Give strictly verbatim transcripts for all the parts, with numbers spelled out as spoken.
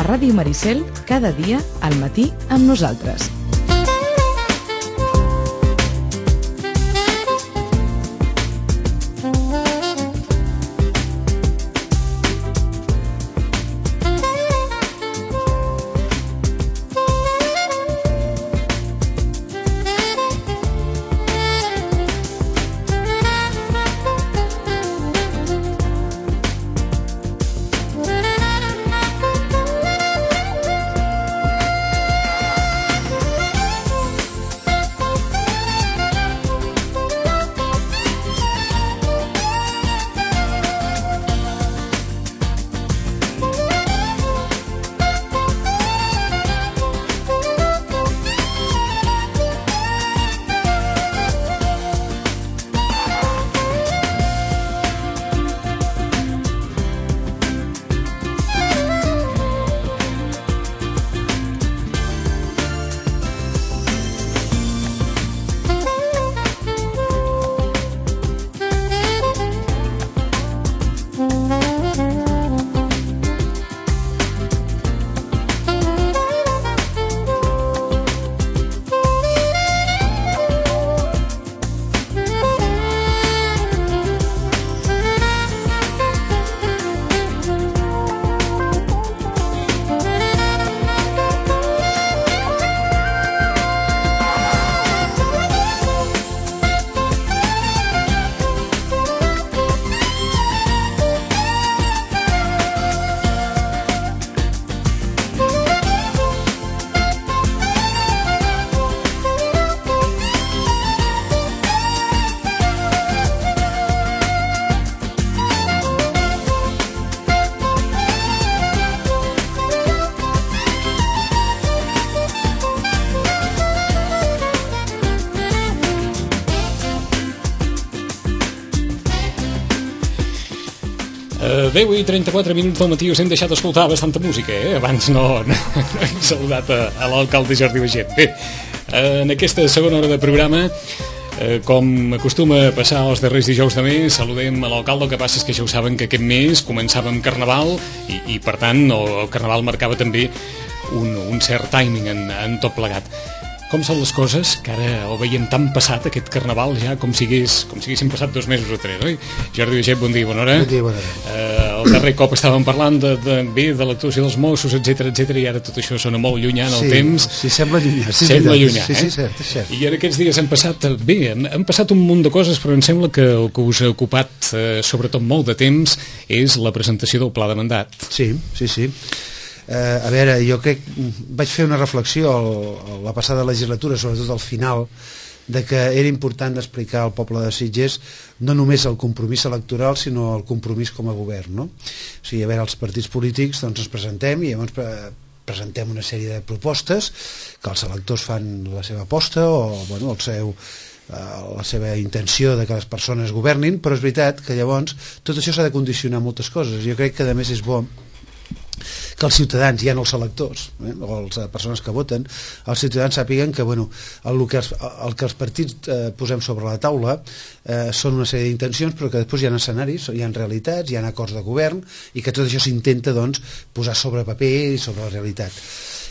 Ràdio Maricel, cada dia al matí amb nosaltres. deu i trenta-quatre minuts del matí us hem deixat escoltar bastanta música, eh? Abans no, no, no hem saludat a, a l'alcalde Jordi Baiget. Bé, en aquesta segona hora de programa, eh, com acostuma a passar els darrers dijous de mes, saludem a l'alcalde. El que passa és que ja ho saben que aquest mes començava amb Carnaval i, i per tant, el Carnaval marcava també un, un cert timing en, en tot plegat. Com són les coses, que ara el veiem tan passat, aquest Carnaval, ja com si hagués, com si haguessin passat dos mesos o tres, oi? Jordi Baiget, bon dia, bona hora. Bon dia, bona hora. Eh, el darrer cop estàvem parlant de, de, bé, de l'actuació dels Mossos, etcètera, etcètera, i ara tot això sona molt llunyà en el sí, temps. Sí, sembla llunyà. Sí, sembla llunyà, sí, eh? Sí, cert, és cert. I ara aquests dies han passat, bé, han, han passat un munt de coses, però em sembla que el que us ha ocupat, eh, sobretot molt de temps, és la presentació del pla de mandat. Sí, sí, sí. Eh, a veure, jo crec, vaig fer una reflexió a la passada legislatura, sobretot al final, de que era important explicar al poble de Sitges no només el compromís electoral, sinó el compromís com a govern, no? O sigui, a veure, els partits polítics doncs ens presentem i llavors pre presentem una sèrie de propostes que els electors fan la seva aposta o bueno, el seu, la seva intenció de que les persones governin, però és veritat que llavors tot això s'ha de condicionar moltes coses. Jo crec que a més és bo que els ciutadans, ja no els electors, eh, o les persones que voten, els ciutadans sàpiguen que, bueno, el que els, el que els partits eh, posem sobre la taula eh, són una sèrie d'intencions, però que després hi ha escenaris, hi ha realitats, hi ha acords de govern, i que tot això s'intenta, doncs, posar sobre paper i sobre la realitat.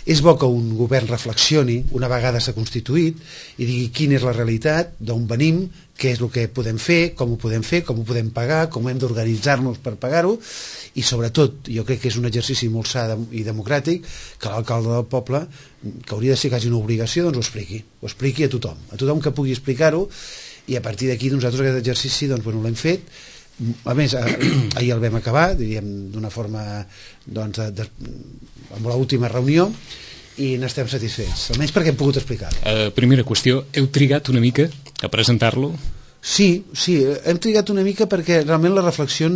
És bo que un govern reflexioni una vegada s'ha constituït i digui quina és la realitat, d'on venim, què és el que podem fer, com ho podem fer, com ho podem pagar, com hem d'organitzar-nos per pagar-ho, i sobretot, jo crec que és un exercici molt sa i democràtic, que l'alcalde del poble, que hauria de ser quasi una obligació, doncs ho expliqui, ho expliqui a tothom, a tothom que pugui explicar-ho, i a partir d'aquí nosaltres aquest exercici doncs, bueno, l'hem fet. A més, ahir el vam acabar, diríem, d'una forma, doncs, de, de, amb l'última reunió, i n'estem satisfets, almenys perquè hem pogut explicar-ho. Uh, primera qüestió, heu trigat una mica a presentar-lo? Sí, sí, hem trigat una mica perquè realment la reflexió,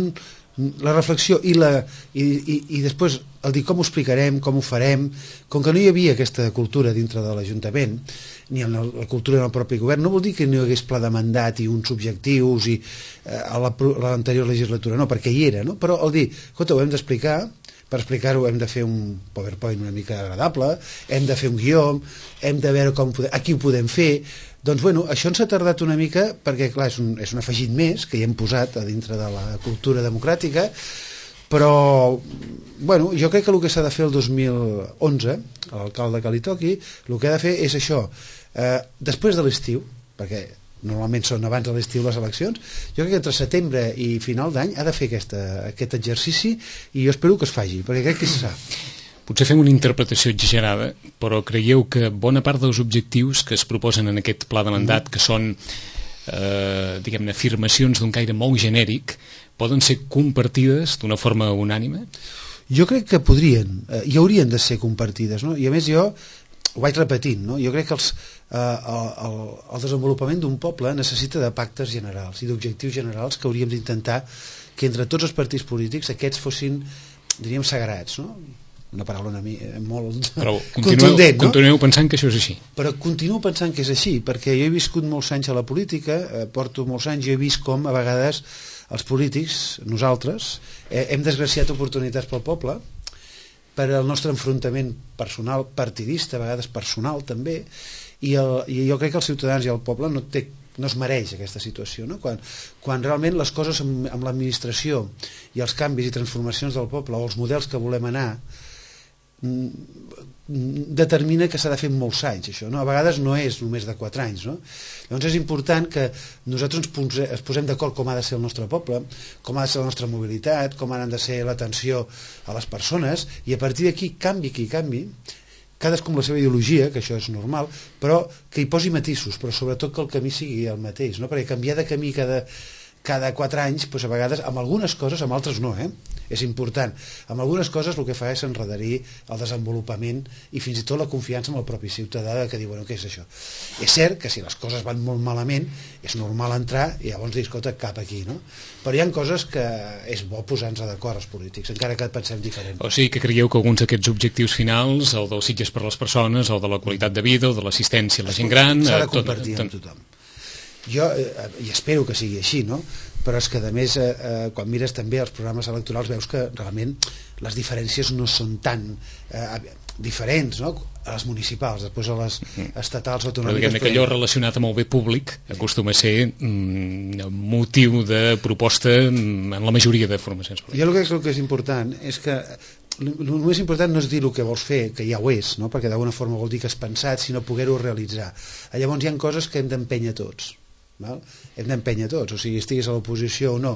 la reflexió i, la, i, i, i després el dir com ho explicarem, com ho farem, com que no hi havia aquesta cultura dintre de l'Ajuntament, ni en la, la cultura del propi govern, no vol dir que no hi hagués pla de mandat i uns objectius i, eh, a l'anterior legislatura, no, perquè hi era, no? Però el dir, escolta, ho hem d'explicar, per explicar-ho hem de fer un PowerPoint una mica agradable, hem de fer un guió, hem de veure com podem, aquí ho podem fer. Doncs bueno, això ens ha tardat una mica perquè clar, és un, és un afegit més que hi hem posat a dintre de la cultura democràtica, però bueno, jo crec que el que s'ha de fer el dos mil onze, l'alcalde que li toqui, el que ha de fer és això, eh, després de l'estiu, perquè normalment són abans de l'estiu les eleccions, jo crec que entre setembre i final d'any ha de fer aquesta, aquest exercici, i jo espero que es faci, perquè crec que se sap. Potser fem una interpretació exagerada, però creieu que bona part dels objectius que es proposen en aquest pla de mandat, que són eh, diguem-ne, afirmacions d'un caire molt genèric, poden ser compartides d'una forma unànime? Jo crec que podrien, eh, i haurien de ser compartides, no? I a més jo ho vaig repetint, no? Jo crec que els, eh, el, el, el desenvolupament d'un poble necessita de pactes generals i d'objectius generals que hauríem d'intentar que entre tots els partits polítics aquests fossin, diríem, sagrats, no? Una paraula una mi, molt però continueu, contundent, no? Continueu pensant que això és així. Però continuo pensant que és així, perquè jo he viscut molts anys a la política, eh, porto molts anys, jo he vist com a vegades els polítics, nosaltres, eh, hem desgraciat oportunitats pel poble per al nostre enfrontament personal, partidista, a vegades personal també, i, el, i jo crec que els ciutadans i el poble no, té, no es mereix aquesta situació, no? Quan, quan realment les coses amb, amb l'administració i els canvis i transformacions del poble o els models que volem anar determina que s'ha de fer molts anys, això, no? A vegades no és només de quatre anys, no? Llavors és important que nosaltres ens posem, ens posem d'acord com ha de ser el nostre poble, com ha de ser la nostra mobilitat, com ha de ser l'atenció a les persones, i a partir d'aquí canvi qui canvi, cadascú amb la seva ideologia, que això és normal, però que hi posi matisos, però sobretot que el camí sigui el mateix, no? Perquè canviar de camí cada, cada quatre anys, doncs a vegades amb algunes coses, amb altres no, eh? És important. Amb algunes coses el que fa és enredarir el desenvolupament i fins i tot la confiança en el propi ciutadà que diu, bueno, què és això? És cert que si les coses van molt malament és normal entrar i llavors dir, escolta, cap aquí, no? Però hi ha coses que és bo posar-nos d'acord els polítics, encara que pensem diferent. O sigui que creieu que alguns d'aquests objectius finals, el dels Sitges per les persones, el de la qualitat de vida, el de l'assistència a la gent gran... S'ha de compartir amb tothom. Jo, eh, i espero que sigui així, no? Però és que a més eh, eh, quan mires també els programes electorals veus que realment les diferències no són tan eh, diferents, no? A les municipals, després a les estatals autonòmiques. Però diguem que allò relacionat amb el bé públic acostuma a ser mm, motiu de proposta en la majoria de formacions polítiques. Jo el que crec que és important és que el més important no és dir el que vols fer, que ja ho és, no? Perquè d'alguna forma vol dir que has pensat, sinó poder-ho realitzar. Llavors hi ha coses que hem d'empènyer tots. Val? Hem d'empènyer tots, o sigui, estiguis a l'oposició o no,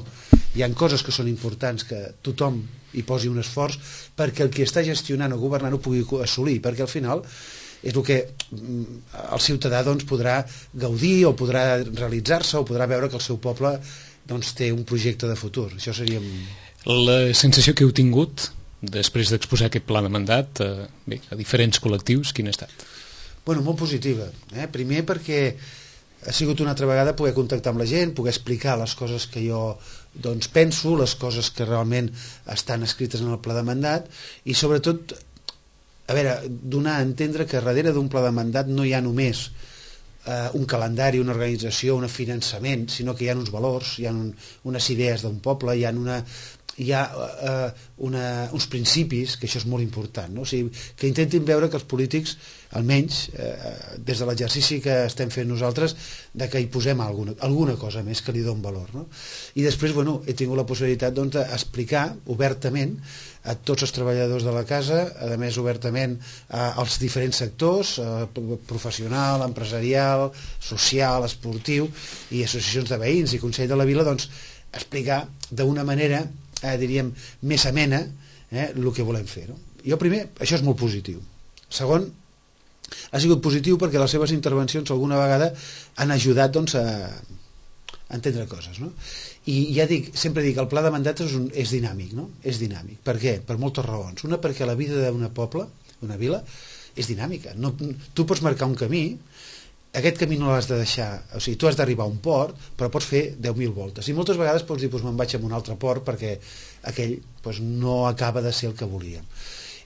hi ha coses que són importants que tothom hi posi un esforç perquè el qui està gestionant o governant ho pugui assolir, perquè al final és el que el ciutadà doncs, podrà gaudir o podrà realitzar-se o podrà veure que el seu poble doncs, té un projecte de futur. Això seria... La sensació que heu tingut després d'exposar aquest pla de mandat eh, bé, a diferents col·lectius, quina ha estat? Bueno, molt positiva, eh? Primer perquè ha sigut una altra vegada poder contactar amb la gent, poder explicar les coses que jo doncs, penso, les coses que realment estan escrites en el pla de mandat i sobretot, a veure, donar a entendre que darrere d'un pla de mandat no hi ha només eh, un calendari, una organització, un finançament, sinó que hi ha uns valors, hi ha un, unes idees d'un poble, hi ha una... hi ha eh, una, uns principis, que això és molt important, no? O sigui, que intentin veure que els polítics, almenys eh, des de l'exercici que estem fent nosaltres, de que hi posem alguna, alguna cosa més que li doni valor, no? I després, bueno, he tingut la possibilitat doncs, d'explicar obertament a tots els treballadors de la casa, a més obertament als diferents sectors, eh, professional, empresarial, social, esportiu i associacions de veïns i Consell de la Vila, doncs explicar d'una manera eh, diríem, més amena eh, el que volem fer, no? Jo primer, això és molt positiu. Segon, ha sigut positiu perquè les seves intervencions alguna vegada han ajudat doncs, a, a entendre coses, no? I ja dic, sempre dic, el pla de mandat és, un, és dinàmic, no? És dinàmic. Per què? Per moltes raons. Una, perquè la vida d'una poble, d'una vila, és dinàmica. No, tu pots marcar un camí, aquest camí no l'has de deixar, o sigui, tu has d'arribar a un port, però pots fer deu mil voltes. I moltes vegades pots dir, doncs me'n vaig a un altre port perquè aquell doncs, no acaba de ser el que volíem.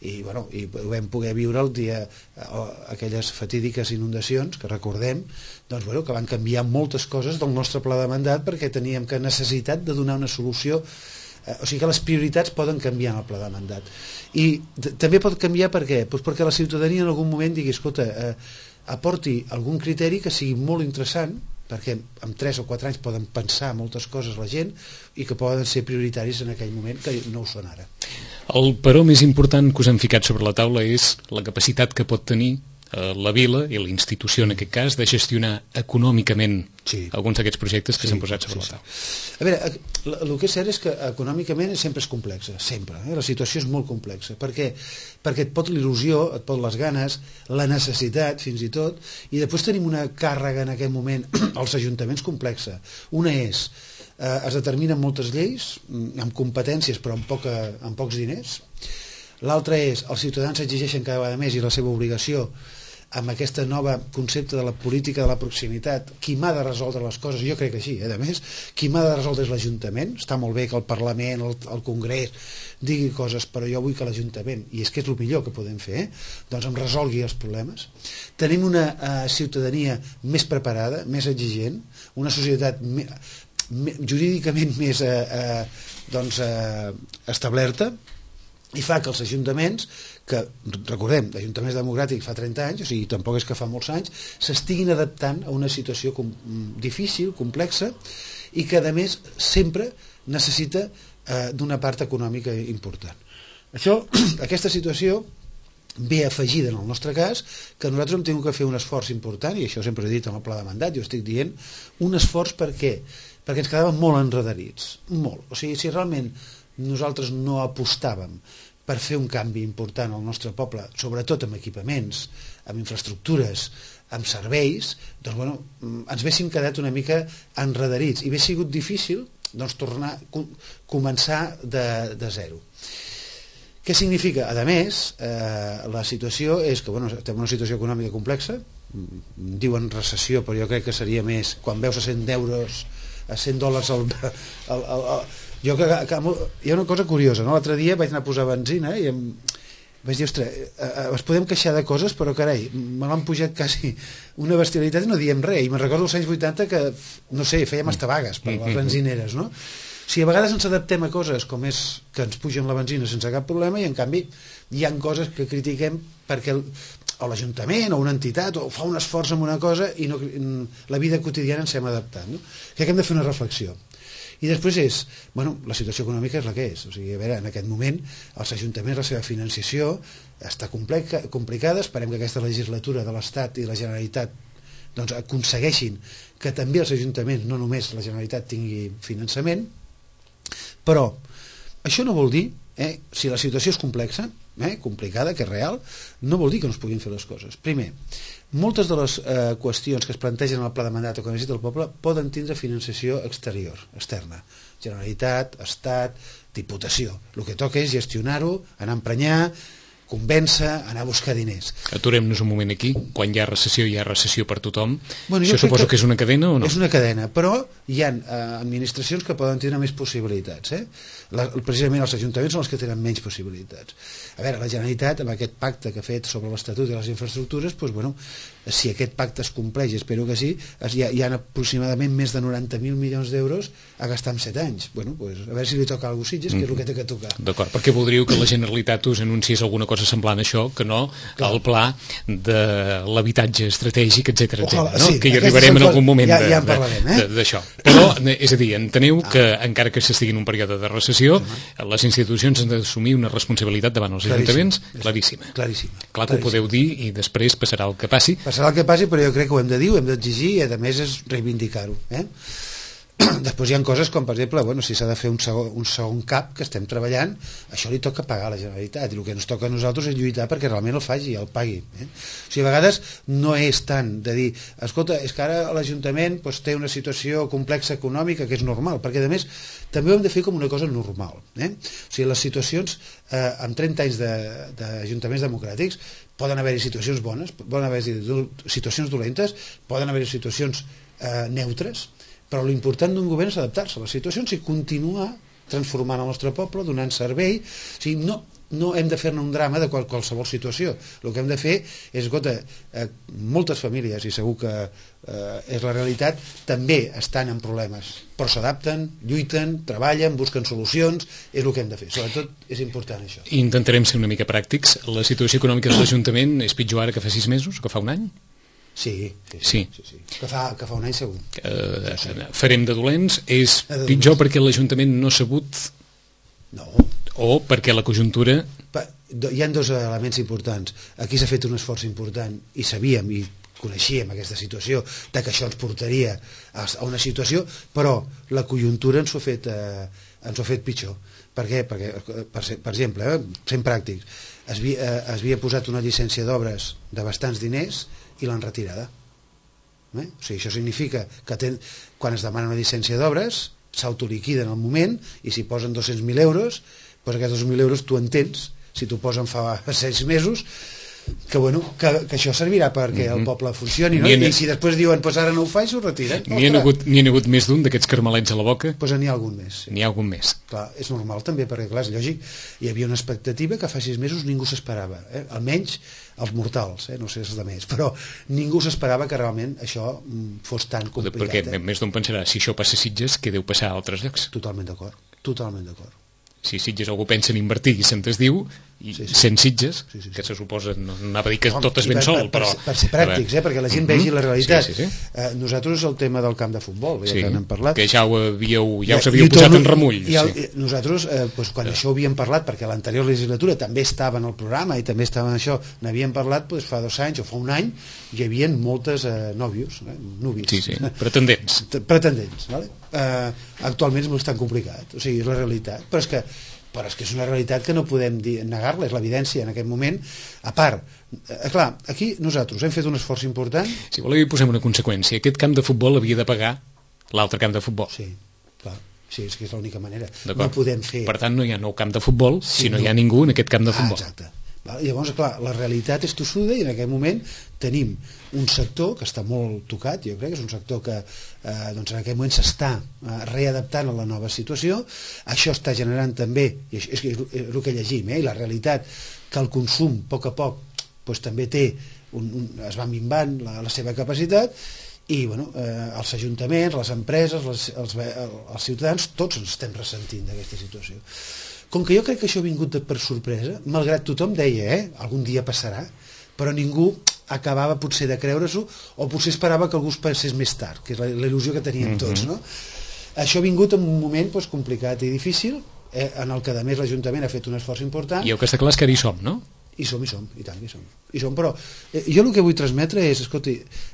I, bueno, i ho vam poder viure el dia, aquelles fatídiques inundacions que recordem, doncs, bueno, que van canviar moltes coses del nostre pla de mandat perquè teníem que necessitat de donar una solució. O sigui que les prioritats poden canviar en el pla de mandat. I també pot canviar per què? Doncs perquè la ciutadania en algun moment digui, escolta, eh, aporti algun criteri que sigui molt interessant perquè en tres o quatre anys poden pensar moltes coses la gent i que poden ser prioritaris en aquell moment que no ho són ara. El però més important que us han ficat sobre la taula és la capacitat que pot tenir la vila i la institució en aquest cas de gestionar econòmicament sí. alguns d'aquests projectes que sí, s'han posat sobre sí, la taula. Sí. A veure, el que és cert és que econòmicament sempre és complexa, sempre, eh? La situació és molt complexa, perquè, perquè et pot l'il·lusió, et pot les ganes, la necessitat fins i tot, i després tenim una càrrega en aquest moment als ajuntaments complexa. Una és, eh, es determinen moltes lleis amb competències però amb, poca, amb pocs diners. L'altra és, els ciutadans exigeixen cada vegada més i la seva obligació amb aquest nova concepte de la política de la proximitat, qui m'ha de resoldre les coses, jo crec que així, eh, a més, qui m'ha de resoldre és l'Ajuntament. Està molt bé que el Parlament, el, el Congrés digui coses, però jo vull que l'Ajuntament, i és que és el millor que podem fer, eh, doncs em resolgui els problemes. Tenim una eh, ciutadania més preparada, més exigent, una societat me, me, jurídicament més eh, eh, doncs, eh, establerta, i fa que els ajuntaments, que recordem, l'Ajuntament Democràtic fa trenta anys, o sigui, tampoc és que fa molts anys, s'estiguin adaptant a una situació com, difícil, complexa, i que a més sempre necessita eh, d'una part econòmica important. Això, aquesta situació ve afegida en el nostre cas que nosaltres hem tingut que fer un esforç important, i això sempre he dit en el pla de mandat, jo estic dient un esforç per què? Perquè ens quedàvem molt enredarits, molt. O sigui, si realment nosaltres no apostàvem per fer un canvi important al nostre poble, sobretot amb equipaments, amb infraestructures, amb serveis, doncs bueno, ens haguéssim quedat una mica enredarits i hauria sigut difícil doncs, tornar, començar de, de zero. Què significa? A més, eh, la situació és que bueno, estem en una situació econòmica complexa, diuen recessió, però jo crec que seria més quan veus a cent euros, a cent dòlars al... al, al, al jo que, que, hi ha una cosa curiosa, no? L'altre dia vaig anar a posar benzina i em, vaig dir, ostres, eh, eh, es podem queixar de coses, però carai, me l'han pujat quasi una bestialitat i no diem res, i me'n recordo als anys vuitanta que, no sé, fèiem hasta vagues per les benzineres, no? O sigui, a vegades ens adaptem a coses com és que ens pugen la benzina sense cap problema i en canvi hi ha coses que critiquem perquè el, o l'Ajuntament o una entitat o fa un esforç en una cosa i no, la vida quotidiana ens hem adaptat, no? Crec que hem de fer una reflexió. I després és, bueno, la situació econòmica és la que és, o sigui, a veure, en aquest moment els ajuntaments, la seva financiació està complexa, complicada, esperem que aquesta legislatura de l'Estat i la Generalitat doncs, aconsegueixin que també els ajuntaments, no només la Generalitat, tingui finançament, però això no vol dir, eh, si la situació és complexa, eh, complicada, que és real, no vol dir que no es puguin fer les coses. Primer, moltes de les eh, qüestions que es plantegen en el pla de mandat o que necessita el poble poden tindre financiació exterior, externa. Generalitat, Estat, Diputació. El que toca és gestionar-ho, anar a emprenyar, convèncer, anar a buscar diners. Aturem-nos un moment aquí. Quan hi ha recessió, hi ha recessió per tothom. Bueno, Això suposo que, que és una cadena o no? És una cadena, però hi ha eh, administracions que poden tenir més possibilitats. Eh? La, precisament els ajuntaments són els que tenen menys possibilitats. A veure, la Generalitat, amb aquest pacte que ha fet sobre l'Estatut i les infraestructures, doncs, bueno, si aquest pacte es compleix, espero que sí, es, hi, ha, hi ha aproximadament més de noranta mil milions d'euros a gastar en set anys. Bueno, doncs, a veure si li toca alguna cosa Sitges, que és el que té que tocar. D'acord, perquè voldríeu que la Generalitat us anunciés alguna cosa semblant a això, que no Clar. el pla de l'habitatge estratègic, etcètera, etcètera, no? Sí, que hi arribarem en algun moment ja, ja d'això. Eh? Però, és a dir, enteneu ah. que encara que s'estigui en un període de recessió, ah. les institucions han d'assumir una responsabilitat davant els ajuntaments claríssima. Claríssima. Clar que ho podeu dir i després passarà el que passi. Passarà el que passi, però jo crec que ho hem de dir, ho hem d'exigir i a més és reivindicar-ho. Eh? Després hi ha coses com, per exemple, bueno, si s'ha de fer un segon, un segon cap que estem treballant, això li toca pagar a la Generalitat i el que ens toca a nosaltres és lluitar perquè realment el faci, el pagui. Eh? O sigui, a vegades no és tant de dir, escolta, és que ara l'Ajuntament doncs, té una situació complexa econòmica que és normal, perquè a més també ho hem de fer com una cosa normal. Eh? O sigui, les situacions, eh, amb trenta anys d'ajuntaments de, democràtics, poden haver-hi situacions bones, poden haver-hi situacions dolentes, poden haver-hi situacions eh, neutres, però l'important d'un govern és adaptar-se a les situacions i continuar transformant el nostre poble, donant servei. O sigui, no, no hem de fer-ne un drama de qual, qualsevol situació. El que hem de fer és, escolta, eh, moltes famílies, i segur que eh, és la realitat, també estan en problemes, però s'adapten, lluiten, treballen, busquen solucions, és el que hem de fer. Sobretot és important això. Intentarem ser una mica pràctics. La situació econòmica de l'Ajuntament és pitjor ara que fa sis mesos, que fa un any? Sí, sí, sí. sí, sí. Que, fa, que fa un any segur. Uh, sí, sí. Farem de dolents. És de pitjor dolents. Perquè l'Ajuntament no ha sabut... No. O perquè la conjuntura... Pa, hi ha dos elements importants. Aquí s'ha fet un esforç important i sabíem i coneixíem aquesta situació de que això ens portaria a una situació, però la conjuntura ens ho ha fet, eh, ens ho ha fet pitjor. Per què? Perquè, per, per exemple, eh, sent pràctics, es havia, eh, es havia posat una llicència d'obres de bastants diners i l'han retirada. Eh? O sigui, això significa que ten, quan es demana una llicència d'obres s'autoliquida en el moment i si posen dos-cents mil euros, doncs aquests dos-cents mil euros tu entens, si t'ho posen fa sis mesos, que, bueno, que, que això servirà perquè mm-hmm. el poble funcioni, no? I si després diuen pues ara no ho faig, ho retiren. N'hi ha hagut, n'hi ha hagut més d'un d'aquests carmelets a la boca? Pues n'hi ha algun més. Sí. N'hi ha algun més. Clar, és normal també, perquè clar, és lògic, hi havia una expectativa que fa sis mesos ningú s'esperava, eh? Almenys els mortals, eh? No sé els altres, però ningú s'esperava que realment això fos tan complicat. Perquè eh? més d'un pensarà, si això passa a Sitges, què deu passar a altres llocs? Totalment d'acord, totalment d'acord. Si Sitges algú pensa en invertir i se'n desdiu, i sí, sí. sent Sitges, sí, sí, sí. que se suposa, no anava a dir que no, tot és ben per, sol, per, però... Per ser pràctics, eh, perquè la gent vegi la realitat. Sí, sí, sí. Eh, nosaltres el tema del camp de futbol, ja sí, que n'hem parlat... que ja, ho havíeu, ja us havíeu posat en remull. I el, sí. Nosaltres, eh, doncs, quan sí. això ho havíem parlat, perquè l'anterior legislatura també estava en el programa i també estava en això, n'havíem parlat doncs, fa dos anys o fa un any, hi havia moltes eh, nòvios, eh, núvies. Sí, sí, pretendents. Pretendents, vale? Eh, actualment és molt tan complicat, o sigui, és la realitat, però és que però és que és una realitat que no podem negar-la, és l'evidència en aquest moment. A part, eh, clar, aquí nosaltres hem fet un esforç important. Si voleu hi posem una conseqüència, aquest camp de futbol havia de pagar l'altre camp de futbol. Sí, clar, sí, és que és l'única manera. No podem fer... Per tant, no hi ha nou camp de futbol sí, si no, no hi ha ningú en aquest camp de futbol. Ah, exacte. Llavors, clar, la realitat és tossuda i en aquest moment tenim un sector que està molt tocat, jo crec que és un sector que eh, doncs en aquest moment s'està eh, readaptant a la nova situació. Això està generant també, i és, és, és el que llegim, eh, i la realitat que el consum a poc a poc doncs, també té un, un, es va minvant la, la seva capacitat i bueno, eh, els ajuntaments, les empreses, les, els, els ciutadans, tots ens estem ressentint d'aquesta situació. Com que jo crec que això ha vingut per sorpresa, malgrat tothom deia, eh, algun dia passarà, però ningú acabava potser de creure-s'ho o potser esperava que algú es passés més tard, que és la, la il·lusió que teníem mm-hmm. tots, no? Això ha vingut en un moment doncs, complicat i difícil, eh, en el que a més l'Ajuntament ha fet un esforç important. I el que està clar és que ara hi som, no? I som, i som, i tant, i som. I som però eh, jo el que vull transmetre és, escolti,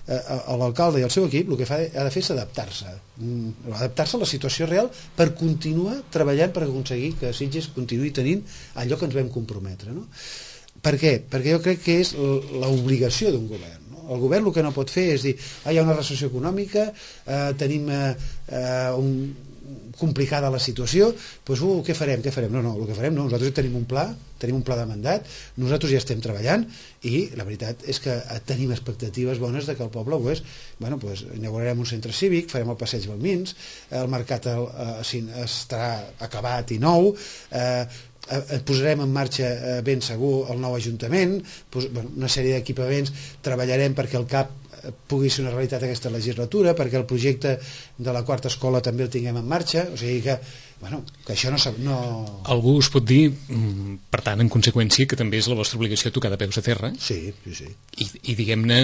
eh, l'alcalde i el seu equip el que fa, ha de fer és adaptar-se, mm, adaptar-se a la situació real per continuar treballant per aconseguir que Sitges continuï tenint allò que ens vam comprometre, no? Per què? Perquè jo crec que és l'obligació d'un govern. No? El govern el que no pot fer és dir ah, hi ha una recessió econòmica, eh, tenim eh, eh, un complicada la situació, doncs uh, què farem, què farem? No, no, el que farem no, nosaltres tenim un pla, tenim un pla de mandat, nosaltres ja estem treballant i la veritat és que tenim expectatives bones de que el poble pues, bueno, pues, inaugurarem un centre cívic, farem el passeig Balmins, el mercat eh, estarà acabat i nou, eh, eh, posarem en marxa eh, ben segur el nou ajuntament, pues, bueno, una sèrie d'equipaments, treballarem perquè el C A P pugui ser una realitat aquesta legislatura, perquè el projecte de la quarta escola també el tinguem en marxa, o sigui que, bueno, que això no... no... Algú us pot dir, per tant, en conseqüència, que també és la vostra obligació tocar de peus a terra? Sí, sí, sí. I, i diguem-ne,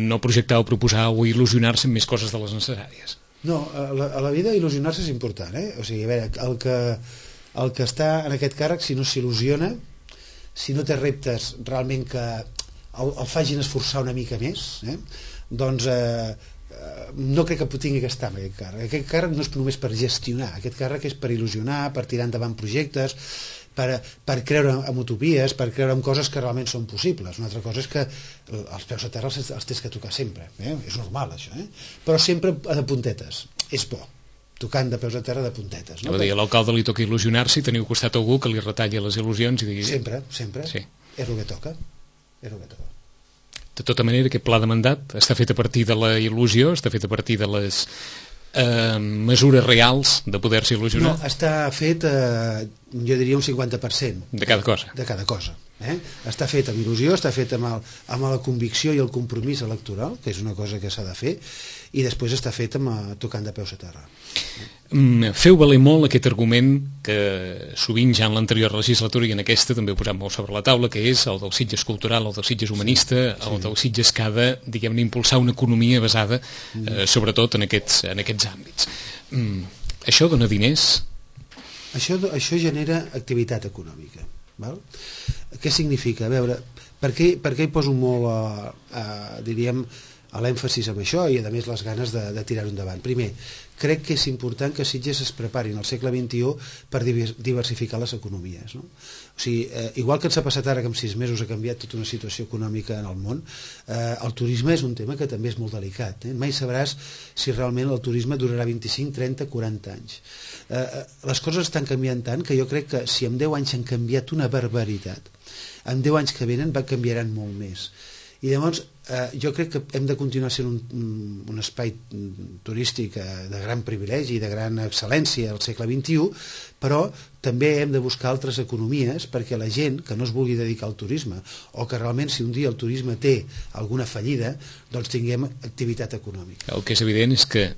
no projectar o proposar o il·lusionar-se amb més coses de les necessàries. No, a la, a la vida il·lusionar-se és important, eh? O sigui, a veure, el que, el que està en aquest càrrec, si no s'il·lusiona, si no té reptes realment que el, el facin esforçar una mica més, eh? doncs eh, no crec que tingui que estar en aquest càrrec. Aquest càrrec no és només per gestionar, aquest càrrec és per il·lusionar, per tirar endavant projectes, per, per creure en utopies, per creure en coses que realment són possibles. Una altra cosa és que els peus a terra els, els tens que tocar sempre, eh? És normal això, eh? Però sempre de puntetes, és bo, tocant de peus a terra de puntetes, no? A l'alcalde li toca il·lusionar-se i teniu costat algú que li retalli les il·lusions i digui... Sempre, sempre, sí. És el que toca, és el que toca. De tota manera, aquest pla de mandat està fet a partir de la il·lusió, està fet a partir de les eh, mesures reals de poder-se il·lusionar? No, està fet, eh, jo diria, un cinquanta per cent. De cada cosa? De cada cosa. Eh? Està fet amb il·lusió, està fet amb, el, amb la convicció i el compromís electoral, que és una cosa que s'ha de fer, i després està fet amb, uh, tocant de peus a terra. Mm, feu valer molt aquest argument que sovint ja en l'anterior legislatura i en aquesta també ho posat molt sobre la taula, que és el del Sitges cultural, el del Sitges humanista, sí, el del Sitges que ha de, diguem-ne, impulsar una economia basada eh, sobretot en aquests, en aquests àmbits. Mm, això dona diners? Això, això genera activitat econòmica. Val? Què significa? A veure, per què, per què hi poso molt a, a, diríem, a l'èmfasis amb això i a més les ganes de, de tirar-ho endavant? Primer, crec que és important que Sitges es preparin al segle vint-i-u per diversificar les economies, no? O sigui, eh, igual que ens ha passat ara que en sis mesos ha canviat tota una situació econòmica en el món, eh, el turisme és un tema que també és molt delicat, eh? Mai sabràs si realment el turisme durarà vint-i-cinc, trenta, quaranta anys. Eh, les coses estan canviant tant que jo crec que si en deu anys han canviat una barbaritat, en deu anys que venen va canviaran molt més. I llavors eh, jo crec que hem de continuar sent un, un espai turístic eh, de gran privilegi i de gran excel·lència al segle vint-i-u, però també hem de buscar altres economies perquè la gent que no es vulgui dedicar al turisme o que realment si un dia el turisme té alguna fallida, doncs tinguem activitat econòmica. El que és evident és que,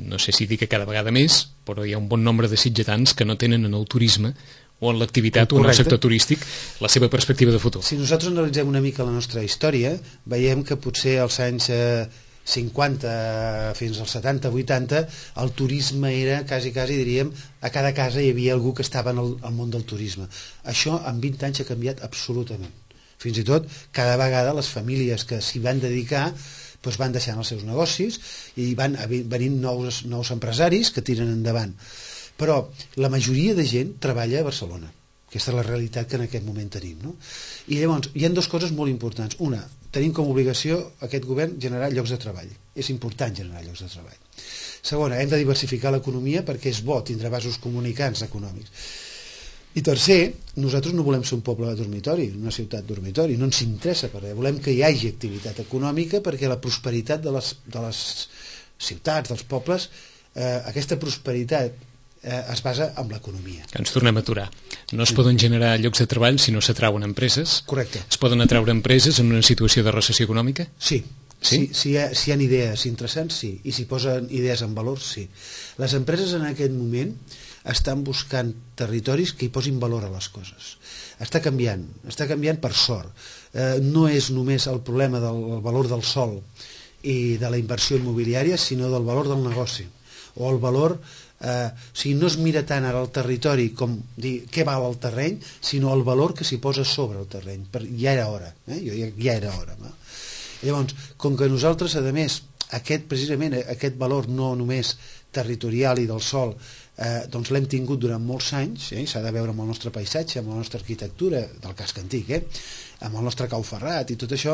no sé si dir que cada vegada més, però hi ha un bon nombre de sitgetans que no tenen en el turisme o en l'activitat o en el sector turístic la seva perspectiva de futur. Si nosaltres analitzem una mica la nostra història, veiem que potser als anys cinquanta fins als setanta, vuitanta, el turisme era, quasi, quasi diríem, a cada casa hi havia algú que estava en el, el món del turisme. Això en vint anys ha canviat absolutament. Fins i tot, cada vegada les famílies que s'hi van dedicar doncs van deixant els seus negocis i van venint nous, nous empresaris que tiren endavant. Però la majoria de gent treballa a Barcelona. Aquesta és la realitat que en aquest moment tenim, no? I llavors hi ha dues coses molt importants. Una, tenim com a obligació aquest govern generar llocs de treball. És important generar llocs de treball. Segona, hem de diversificar l'economia perquè és bo tindre vasos comunicants econòmics. I tercer, nosaltres no volem ser un poble de dormitori, una ciutat dormitori, no ens interessa per res. Volem que hi hagi activitat econòmica perquè la prosperitat de les, de les ciutats, dels pobles, eh, aquesta prosperitat Eh, es basa en l'economia. Ens tornem a aturar. No es poden generar llocs de treball si no s'atrauen empreses? Correcte. Es poden atraure empreses en una situació de recessió econòmica? Sí. Sí? Si, si, hi ha, si hi ha idees interessants, sí. I si posen idees en valor, sí. Les empreses en aquest moment estan buscant territoris que hi posin valor a les coses. Està canviant, està canviant per sort. Eh, no és només el problema del valor del sòl i de la inversió immobiliària, sinó del valor del negoci. O el valor... Eh, o sigui, no es mira tant ara el territori com dir què val el terreny, sinó el valor que s'hi posa sobre el terreny. Per, ja era hora, eh? Jo, ja, ja era hora. No? Llavors, com que nosaltres, a més, aquest, precisament aquest valor no només territorial i del sòl, eh, doncs l'hem tingut durant molts anys, eh? S'ha de veure amb el nostre paisatge, amb la nostra arquitectura, del casc antic, eh? Amb el nostre cau ferrat i tot això,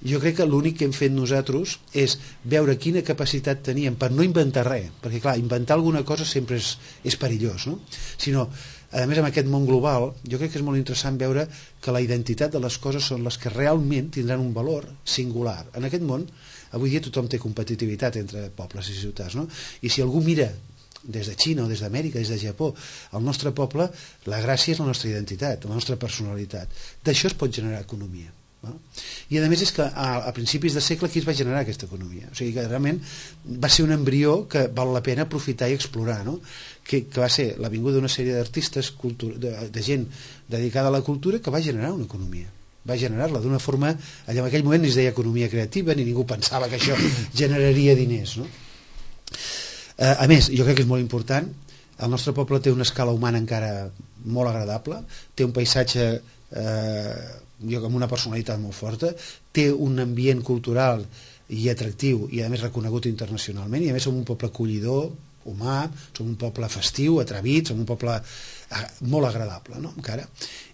jo crec que l'únic que hem fet nosaltres és veure quina capacitat teníem per no inventar res, perquè clar, inventar alguna cosa sempre és, és perillós, no? Sinó, a més amb aquest món global, jo crec que és molt interessant veure que la identitat de les coses són les que realment tindran un valor singular. En aquest món, avui dia tothom té competitivitat entre pobles i ciutats, no? I si algú mira des de Xina o des d'Amèrica, des de Japó, el nostre poble, la gràcia és la nostra identitat, la nostra personalitat. D'això es pot generar economia. No? I a més és que a, a principis de segle qui es va generar aquesta economia? O sigui que realment va ser un embrió que val la pena aprofitar i explorar, no? que, que va ser la vinguda d'una sèrie d'artistes, de, de gent dedicada a la cultura que va generar una economia. Va generar-la d'una forma, allà en aquell moment ni es deia economia creativa ni ningú pensava que això generaria diners, no? A més, jo crec que és molt important, el nostre poble té una escala humana encara molt agradable, té un paisatge eh, amb una personalitat molt forta, té un ambient cultural i atractiu i a més reconegut internacionalment, i a més som un poble acollidor, humà, som un poble festiu, atrevit, som un poble molt agradable, no? Encara.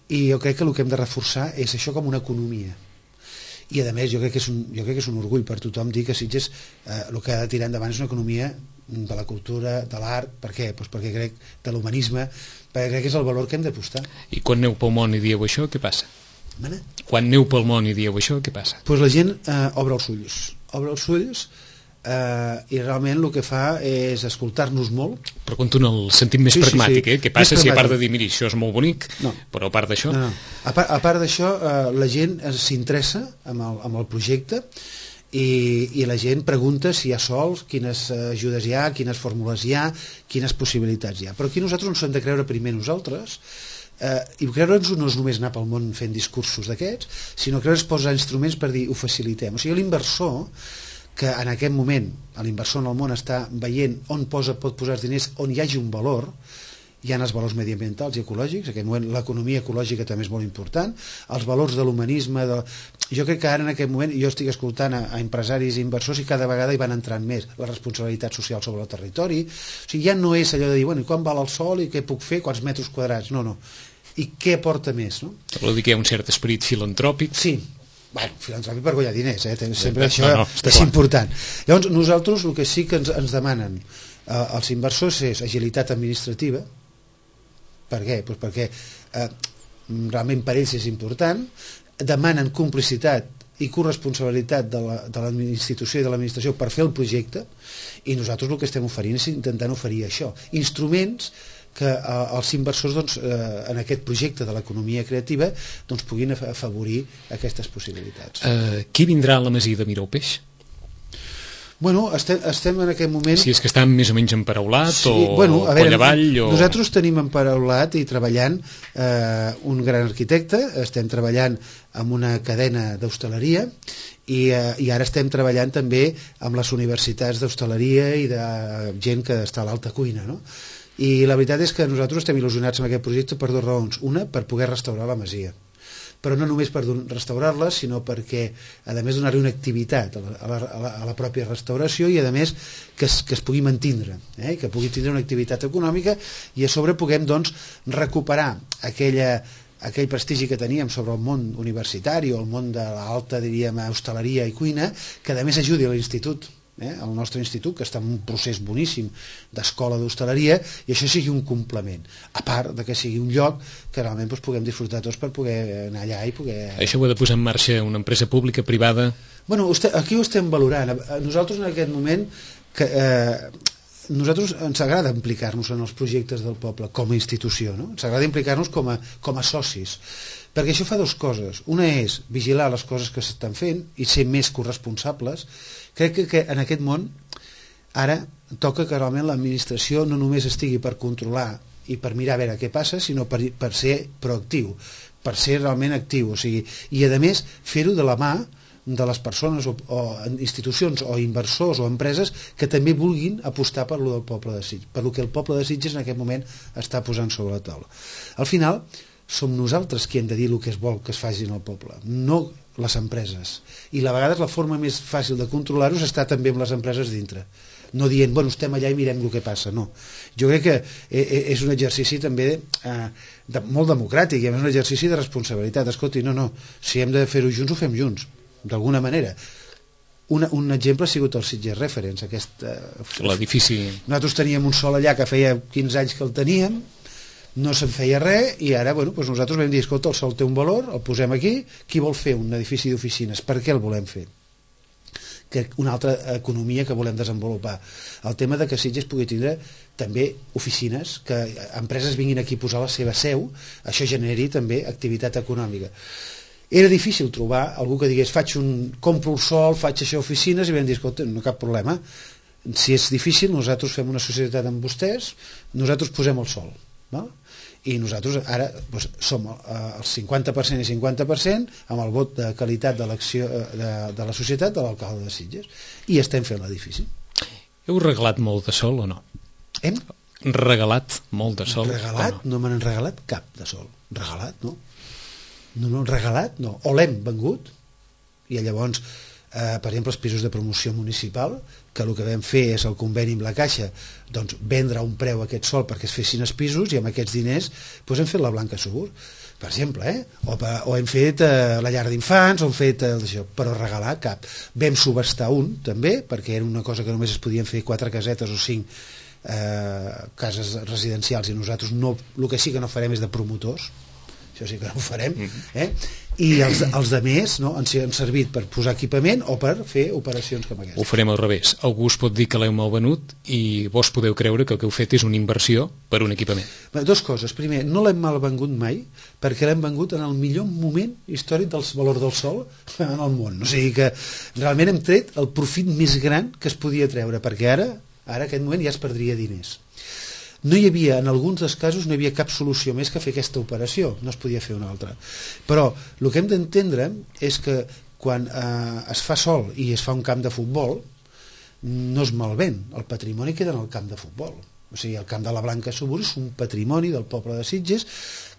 I jo crec que el que hem de reforçar és això com una economia. I a més jo crec que és un, jo crec que és un orgull per tothom dir que Sitges eh, el que ha de tirar endavant és una economia de la cultura, de l'art. Per què? Pues perquè crec de l'humanisme, perquè crec que és el valor que hem d'apostar. I quan aneu pel món i dieu això, què passa? Mana? Quan aneu pel món i dieu això, què passa? Pues la gent eh, obre els ulls obre els ulls eh, i realment el que fa és escoltar-nos molt. Però conto en el sentit més sí, pragmàtic, sí, sí. Eh? Què passa si a part de dir, miri, això és molt bonic, no. Però a part d'això... No, no. A part, a part d'això, eh, la gent s'interessa amb, el, amb el projecte i, i la gent pregunta si hi ha sols, quines ajudes hi ha, quines fórmules hi ha, quines possibilitats hi ha. Però aquí nosaltres ens hem de creure primer nosaltres, eh, i creure'ns no és només anar pel món fent discursos d'aquests, sinó creure'ns posar instruments per dir ho facilitem. O sigui, l'inversor que en aquest moment l'inversor en el món està veient on posa, pot posar els diners on hi hagi un valor, hi ha els valors mediambientals i ecològics, en aquest moment l'economia ecològica també és molt important, els valors de l'humanisme, de... jo crec que ara en aquest moment jo estic escoltant a, a empresaris i inversors i cada vegada hi van entrant més la responsabilitat social sobre el territori, o sigui, ja no és allò de dir, bueno, i quan val el sol i què puc fer, quants metres quadrats, no, no, i què aporta més, no? Vol dir que hi ha un cert esperit filantròpic? Sí, bueno, filantròpic per guanyar diners, eh? Sempre no, això no, és clar. important. Llavors, nosaltres el que sí que ens, ens demanen eh, els inversors és agilitat administrativa. Per què? Pues perquè eh, realment per ells és important, demanen complicitat i corresponsabilitat de la, de la institució i de l'administració per fer el projecte, i nosaltres el que estem oferint és intentant oferir això, instruments que eh, els inversors doncs, eh, en aquest projecte de l'economia creativa doncs, puguin afavorir aquestes possibilitats. Uh, qui vindrà a la Masia de Miralpeix? Bueno, estem, estem en aquest moment... Si és que està més o menys emparaulat, sí, o bueno, a veure, avall, o... Nosaltres tenim emparaulat i treballant eh, un gran arquitecte, estem treballant amb una cadena d'hostaleria i, eh, i ara estem treballant també amb les universitats d'hostaleria i de gent que està a l'alta cuina, no? I la veritat és que nosaltres estem il·lusionats amb aquest projecte per dues raons. Una, per poder restaurar la masia, però no només per restaurar-la, sinó perquè, a més, donar-hi una activitat a la, a, la, a la pròpia restauració i, a més, que es, que es pugui mantindre, eh? Que pugui tindre una activitat econòmica i a sobre puguem, doncs, recuperar aquella, aquell prestigi que teníem sobre el món universitari o el món de l'alta, diríem, hostaleria i cuina, que, a més, ajudi a l'institut. Eh, el nostre institut, que està en un procés boníssim d'escola d'hostaleria, i això sigui un complement, a part de que sigui un lloc que realment doncs, puguem disfrutar tots per poder anar allà i poder... Això ho ha de posar en marxa una empresa pública, privada? Bueno, aquí ho estem valorant. Nosaltres en aquest moment que, eh, nosaltres ens agrada implicar-nos en els projectes del poble com a institució, no? Ens agrada implicar-nos com a, com a socis, perquè això fa dues coses. Una és vigilar les coses que s'estan fent i ser més corresponsables. Crec que, que en aquest món ara toca que realment l'administració no només estigui per controlar i per mirar a veure què passa, sinó per, per ser proactiu, per ser realment actiu, o sigui, i a més fer-ho de la mà de les persones o, o institucions o inversors o empreses que també vulguin apostar per lo del poble de Sitges, per lo que el poble de Sitges en aquest moment està posant sobre la taula. Al final som nosaltres qui hem de dir el que es vol que es faci en el poble, no les empreses, i a vegades la forma més fàcil de controlar-ho està també amb les empreses dintre, no dient, bueno, estem allà i mirem el que passa, no. Jo crec que és un exercici també eh, de, molt democràtic, i a més un exercici de responsabilitat. Escolti, no, no, si hem de fer-ho junts, ho fem junts, d'alguna manera. Una, un exemple ha sigut el Sitges Reference, aquest... Eh, l'edifici... Nosaltres teníem un sol allà que feia quinze anys que el teníem, no se'n feia res, i ara bueno, doncs nosaltres vam dir, escolta, el sol té un valor, el posem aquí, qui vol fer un edifici d'oficines? Per què el volem fer? Que una altra economia que volem desenvolupar. El tema de que Sitges pugui tindre també oficines, que empreses vinguin aquí a posar la seva seu, això generi també activitat econòmica. Era difícil trobar algú que digués, faig un, compro el sol, faig això oficines, i vam dir, escolta, no cap problema, si és difícil, nosaltres fem una societat amb vostès, nosaltres posem el sol, no? I nosaltres ara doncs, som el cinquanta per cent i cinquanta per cent amb el vot de qualitat d'elecció de, de la societat de l'alcalde de Sitges, i estem fent l'edifici. Heu regalat molt de sol o no? Hem regalat molt de sol? Regalat? No, no me n'han regalat cap de sol. Regalat, no? No, no, regalat, no. O l'hem vengut, i llavors eh, per exemple els pisos de promoció municipal, que el que vam fer és el conveni amb la Caixa, doncs vendre a un preu aquest sol perquè es fessin els pisos, i amb aquests diners doncs hem fet la Blanca Segur, per exemple, eh? o, o hem fet eh, la llar d'infants, o hem fet eh, això, però regalar cap. Vam subestar un també, perquè era una cosa que només es podien fer quatre casetes o cinc eh, cases residencials, i nosaltres no, el que sí que no farem és de promotors, això sí que no ho farem, eh? i els, els de més, no, han, han servit per posar equipament o per fer operacions com aquesta. Ho farem al revés. Algú us pot dir que l'heu malvenut i vos podeu creure que el que heu fet és una inversió per un equipament. Bé, dos coses. Primer, no l'hem malvengut mai perquè l'hem vengut en el millor moment històric del valor del sol en el món. O sigui que realment hem tret el profit més gran que es podia treure, perquè ara, ara en aquest moment ja es perdria diners. No hi havia, en alguns dels casos no hi havia cap solució més que fer aquesta operació, no es podia fer una altra. Però el que hem d'entendre és que quan eh, es fa sol i es fa un camp de futbol, no es malven, el patrimoni queda en el camp de futbol. O sigui, el camp de la Blanca Subur és un patrimoni del poble de Sitges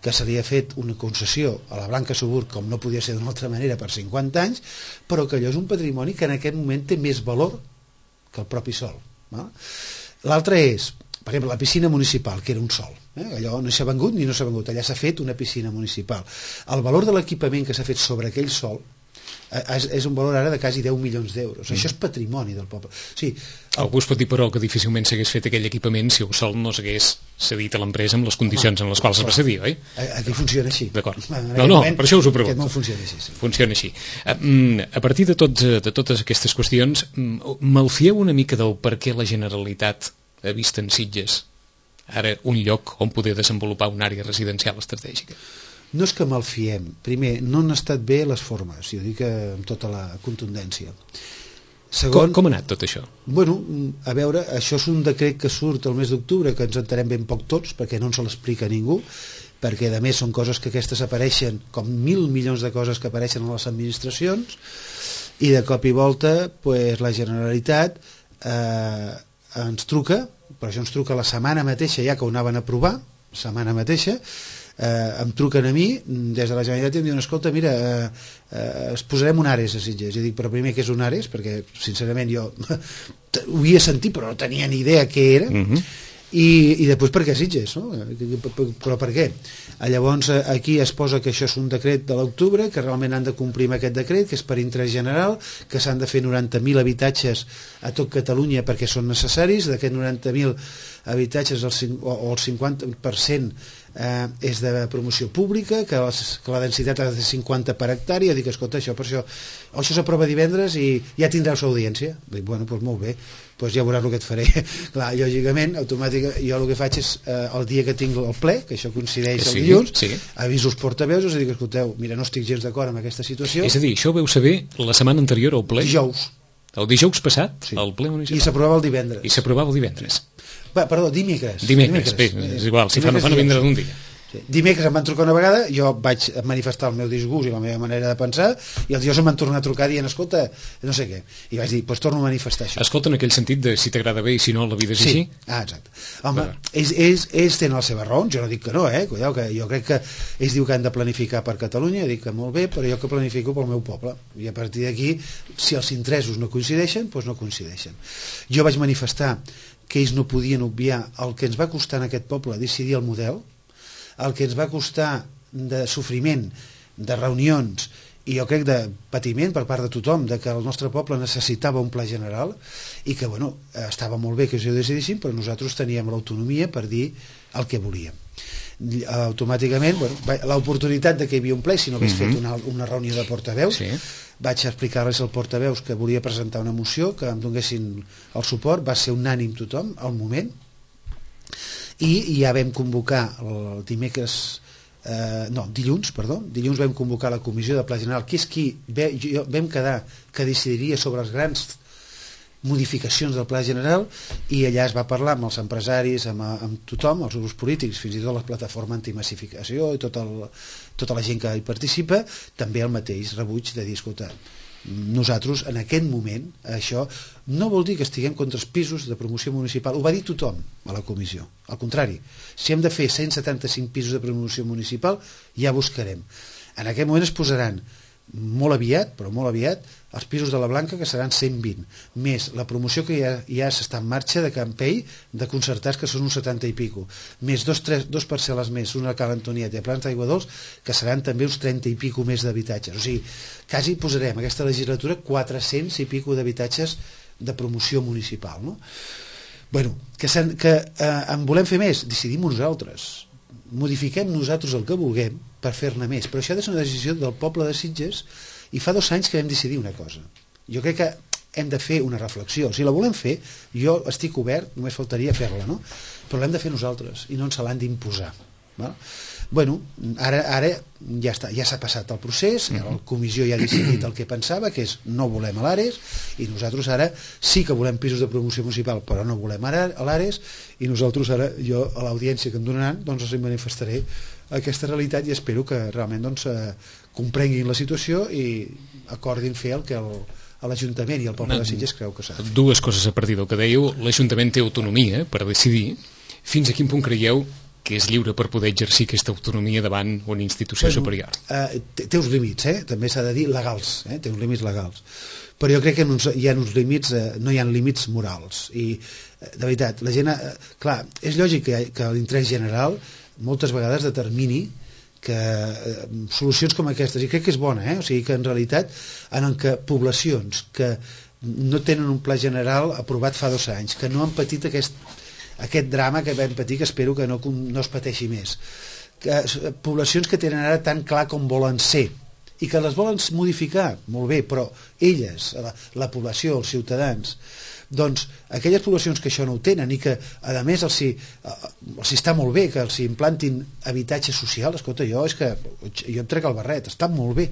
que se li ha fet una concessió a la Blanca Subur, com no podia ser d'una altra manera, per cinquanta anys, però que allò és un patrimoni que en aquest moment té més valor que el propi sol. L'altre és, per exemple, la piscina municipal, que era un sol, eh? Allò no s'ha vengut ni no s'ha vengut, allà s'ha fet una piscina municipal. El valor de l'equipament que s'ha fet sobre aquell sol eh, és, és un valor ara de quasi deu milions d'euros. Mm. Això és patrimoni del poble. O sigui, el... Algú es pot dir, però, que difícilment s'hagués fet aquell equipament si el sol no s'hagués cedit a l'empresa amb les condicions Home, en les quals es va cedir, oi? Aquí funciona així. D'acord. No, no, per això us ho pregunto. Aquest món funciona així. Sí. Funciona així. A partir de, tots, de totes aquestes qüestions, malfieu una mica del per què la Generalitat ha vist en Sitges ara un lloc on poder desenvolupar una àrea residencial estratègica? No és que malfiem. Primer, no han estat bé les formes, i ho dic amb tota la contundència. Segon, com, com ha anat tot això? Bueno, a veure, això és un decret que surt el mes d'octubre, que ens entenem ben poc tots, perquè no ens l'explica ningú, perquè a més són coses que aquestes apareixen com mil milions de coses que apareixen a les administracions, i de cop i volta pues, la Generalitat eh, ens truca, però això ens truca la setmana mateixa ja que ho anaven a aprovar, la setmana mateixa, eh, em truquen a mi des de la Generalitat i em diuen, escolta, mira, eh, eh, es posarem un Ares a Sitges. I dic, però primer què és un Ares? Perquè sincerament jo ho havia sentit però no tenia ni idea què era. Uh-huh. I, i després per què Sitges, no? Però per què? Llavors aquí es posa que això és un decret de l'octubre, que realment han de complir amb aquest decret, que és per interès general, que s'han de fer noranta mil habitatges a tot Catalunya perquè són necessaris. D'aquests noranta mil habitatges el, o el cinquanta per cent eh, és de promoció pública, que, les, que la densitat ha de ser cinquanta per hectàrea. Dic, escolta, això per això això s'aprova divendres i ja tindreu sa audiència. Dic, bueno, doncs molt bé, doncs ja veuràs el que et faré. Clar, lògicament, automàticament, jo el que faig és eh, el dia que tinc el ple, que això coincideix sí, el dilluns, sí. Aviso els portaveus i dic, escolteu, mira, no estic gens d'acord amb aquesta situació. És a dir, això ho veu saber la setmana anterior al ple? Dijous. El dijous passat, sí. Al ple municipal. I s'aprovava el divendres. I s'aprovava el divendres. Va, perdó, dimecres. Dimecres, dimecres. Bé, és igual, si fa no fa no vindrà d'un dia. Sí. Dimecres em van trucar una vegada, jo vaig manifestar el meu disgust i la meva manera de pensar, i els dies em van tornar a trucar dient, escolta, no sé què, i vaig dir, doncs pues torno a manifestar això. Escolta, en aquell sentit de si t'agrada bé i si no la vida és sí. així? Ah, exacte. Home, ells, ells, ells tenen les seves raons, jo no dic que no, eh? Cuidao, que jo crec que ells diuen que han de planificar per Catalunya, dic que molt bé, però jo que planifico pel meu poble, i a partir d'aquí, si els interessos no coincideixen, doncs no coincideixen. Jo vaig manifestar que ells no podien obviar el que ens va costar en aquest poble decidir el model, el que ens va costar de sofriment, de reunions i jo crec de patiment per part de tothom, de que el nostre poble necessitava un pla general i que bueno, estava molt bé que això ho decidíssim, però nosaltres teníem l'autonomia per dir el que volíem. Automàticament, bueno, l'oportunitat de que hi havia un ple, si no hagués uh-huh. fet una, una reunió de portaveus, sí. Vaig explicar-les al portaveus que volia presentar una moció, que em donessin el suport, va ser unànim tothom al moment, i ja vam convocar el dimecres eh, no, dilluns, perdó dilluns vam convocar la comissió de Pla General, que és qui ve, jo, vam quedar que decidiria sobre les grans modificacions del Pla General, i allà es va parlar amb els empresaris, amb, amb tothom, els grups polítics, fins i tot la plataforma antimassificació i tot el, tota la gent que hi participa, també el mateix rebuig de dir, escolta, nosaltres en aquest moment això no vol dir que estiguem contra els pisos de promoció municipal, ho va dir tothom a la comissió, al contrari, si hem de fer cent setanta-cinc pisos de promoció municipal ja buscarem. En aquest moment es posaran molt aviat, però molt aviat, els pisos de la Blanca, que seran cent vint, més la promoció que ja, ja s'està en marxa de Campell, de concertats, que són uns setanta i pico, més dos, tres, dos parcel·les més, una a Cal Antonieta i a Plans d'Aigua Dols, que seran també uns trenta i pico més d'habitatges. O sigui, quasi posarem aquesta legislatura quatre-cents i pico d'habitatges de promoció municipal, no? Bueno, que, que eh, en volem fer més, decidim nosaltres. modifiquem nosaltres el que vulguem per fer-ne més, però això ha de ser una decisió del poble de Sitges, i fa dos anys que vam decidir una cosa. Jo crec que hem de fer una reflexió. Si la volem fer, jo estic obert, només faltaria fer-la, no? Però l'hem de fer nosaltres i no ens l'han d'imposar. Val? Bueno, ara, ara ja està, ja s'ha passat el procés, la comissió ja ha decidit el que pensava, que és no volem a l'Ares, i nosaltres ara sí que volem pisos de promoció municipal, però no volem a l'Ares, i nosaltres ara, jo a l'audiència que em donaran, doncs els manifestaré aquesta realitat i espero que realment doncs, eh, comprenguin la situació i acordin fer el que el, l'Ajuntament i el poble de Sitges creu que s'ha de fer. Dues coses a partir del que dèieu. L'Ajuntament té autonomia per decidir. Fins a quin punt creieu que és lliure per poder exercir aquesta autonomia davant una institució bueno, superior? Eh, té, té uns límits, eh? També s'ha de dir legals, eh? Té uns límits legals. Però jo crec que uns, hi ha uns límits, eh, no hi ha límits morals. I, eh, de veritat, la gent... Eh, clar, és lògic que, que l'interès general moltes vegades determini que eh, solucions com aquestes, i crec que és bona, eh? O sigui que en realitat en què poblacions que no tenen un pla general aprovat fa dos anys, que no han patit aquest, aquest drama que vam patir, que espero que no, no es pateixi més, que, poblacions que tenen ara tan clar com volen ser i que les volen modificar, molt bé, però elles, la, la població, els ciutadans, doncs aquelles poblacions que això no ho tenen i que a més els hi, els hi està molt bé que els hi implantin habitatge social, escolta, jo és que jo em trec el barret, està molt bé,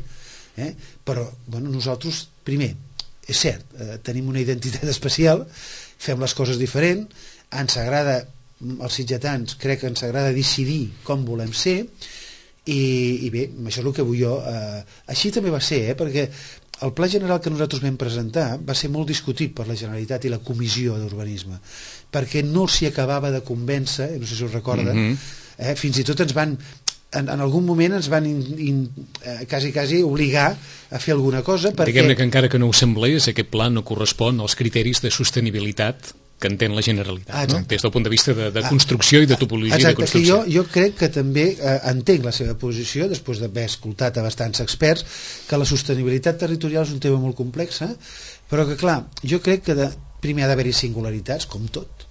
eh? Però bueno, nosaltres primer, és cert, eh, tenim una identitat especial, fem les coses diferent, ens agrada, els sitgetans crec que ens agrada decidir com volem ser, i, i bé, això és el que vull jo, eh, així també va ser, eh? Perquè el pla general que nosaltres vam presentar va ser molt discutit per la Generalitat i la Comissió d'Urbanisme, perquè no s'hi acabava de convèncer, no sé si us recorda, mm-hmm. eh, fins i tot ens van, en, en algun moment ens van in, in, eh, quasi, quasi obligar a fer alguna cosa. Perquè... Diguem-ne que encara que no ho semblés, aquest pla no correspon als criteris de sostenibilitat que entén la Generalitat, ah, no? Des del punt de vista de, de construcció i de topologia exacte, de construcció. Que jo, jo crec que també eh, entenc la seva posició, després d'haver escoltat a bastants experts, que la sostenibilitat territorial és un tema molt complex, eh? Però que clar, jo crec que de, primer ha d'haver-hi singularitats, com tot,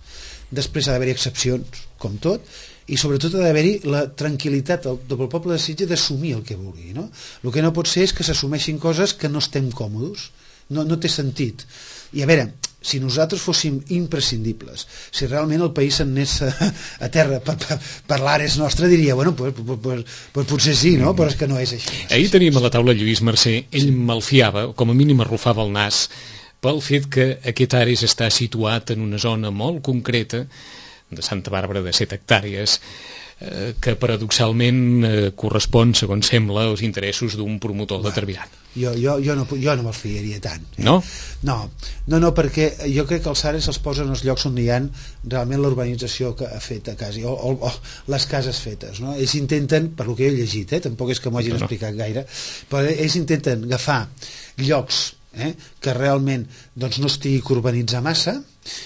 després ha d'haver-hi excepcions, com tot, i sobretot ha d'haver-hi la tranquil·litat del, del poble de Sitges d'assumir el que vulgui, no? El que no pot ser és que s'assumeixin coses que no estem còmodes, no, no té sentit. I a veure, si nosaltres fóssim imprescindibles, si realment el país s'anés a, a terra per, per, per l'Ares nostre, diria, bueno, pues, pues, pues, pues potser sí, no? Però és que no és així. No és Ahir teníem a la taula Lluís Mercè, ell malfiava, com a mínim arrufava el nas, pel fet que aquest Ares està situat en una zona molt concreta de Santa Bàrbara de set hectàrees, eh, que paradoxalment eh, correspon, segons sembla, als interessos d'un promotor bueno, determinat. Jo, jo, jo, no, jo no me'ls fiaria tant. Eh? No? No, no, no, perquè jo crec que els Ares els posen als llocs on hi ha realment l'urbanització que ha fet a casa, o, o, o les cases fetes, no? Ells intenten, per lo que he llegit, eh, tampoc és que m'ho hagin no, no. explicat gaire, però ells intenten agafar llocs eh, que realment doncs, no estigui que urbanitzar massa,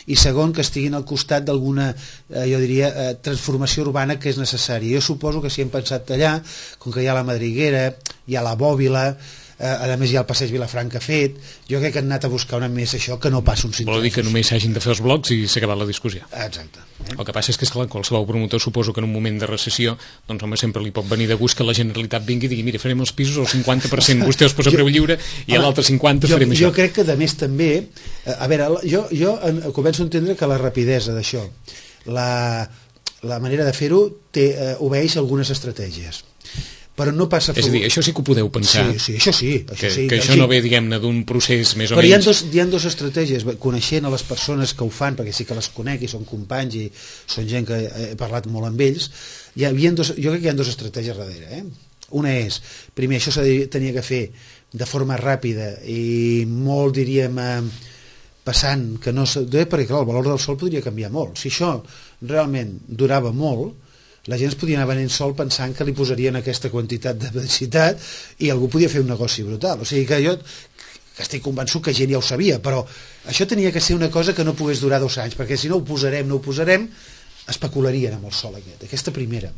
i segon, que estiguin al costat d'alguna, eh, jo diria, eh, transformació urbana que és necessària. Jo suposo que si hem pensat allà, com que hi ha la Madriguera, hi ha la Bòbila, eh, a més hi ha el passeig Vilafranca fet, jo crec que han anat a buscar una més això que no passa un cinturó. Vol dir que només s'hagin de fer els blocs i s'ha acabat la discussió. Exacte. Eh? El que passa és que, esclar, qualsevol promotor suposo que en un moment de recessió, doncs home, sempre li pot venir de gust que la Generalitat vingui i digui, mira, farem els pisos al cinquanta per cent, vostè els posa a preu lliure i a l'altre cinquanta per cent farem jo, això. Jo crec que, de més, també, a veure, jo, jo començo a entendre que la rapidesa d'això, la, la manera de fer-ho eh, obeeix algunes estratègies, però no passa... És a dir, això sí que ho podeu pensar. Sí, sí, això sí. Això que, sí, que això així. no ve, diguem-ne, d'un procés més o però menys... Però hi ha, dos, hi ha dos estratègies, coneixent a les persones que ho fan, perquè sí que les conec i són companys i són gent que he parlat molt amb ells, hi havia dos, jo crec que hi ha dues estratègies darrere. Eh? Una és, primer, això s'havia de fer de forma ràpida i molt, diríem, eh, passant, que no... perquè clar, el valor del sol podria canviar molt. Si això realment durava molt, la gent es podia anar venent sol pensant que li posarien aquesta quantitat de densitat i algú podia fer un negoci brutal. O sigui que jo que estic convençut que gent ja ho sabia, però això tenia que ser una cosa que no pogués durar dos anys, perquè si no ho posarem, no ho posarem, especularien amb el sol aquest, aquesta primera.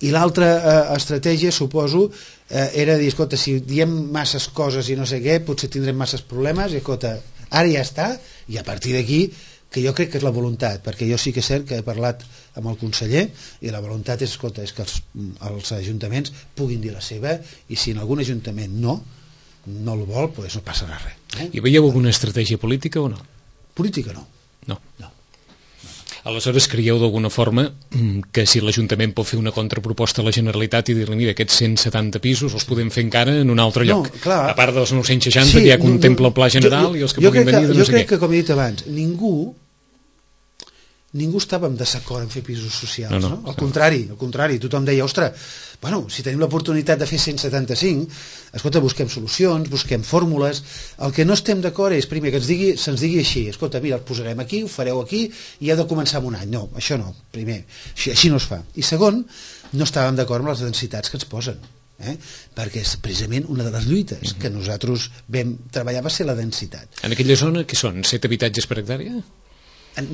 I l'altra eh, estratègia, suposo, eh, era dir, escolta, si diem masses coses i no sé què, potser tindrem masses problemes, i escolta, ara ja està, i a partir d'aquí que jo crec que és la voluntat, perquè jo sí que és cert que he parlat amb el conseller i la voluntat és, escolta, és que els, els ajuntaments puguin dir la seva, i si en algun ajuntament no no el vol, doncs no passarà res. Eh? I veieu alguna estratègia política o no? Política no. No. No. Aleshores, creieu d'alguna forma que si l'Ajuntament pot fer una contraproposta a la Generalitat i dir-li, mira, aquests cent setanta pisos els podem fer encara en un altre lloc, no, clar, a part dels nou-cents seixanta sí, que ja contempla no, el pla general jo, jo, i els que puguin venir de no jo sé què. Jo crec que, com he dit abans, ningú ningú estava en desacord en fer pisos socials, no? no, no? Al contrari, al contrari, tothom deia, ostres, bueno, si tenim l'oportunitat de fer cent setanta-cinc, escolta, busquem solucions, busquem fórmules. El que no estem d'acord és, primer, que ens digui, se'ns digui així, escolta, mira, el posarem aquí, ho fareu aquí, i heu de començar amb un any. No, això no, primer, així, així no es fa. I segon, no estàvem d'acord amb les densitats que ens posen, eh? perquè és precisament una de les lluites uh-huh. que nosaltres vam treballar va ser la densitat. En aquella zona, què són? set habitatges per hectàrea?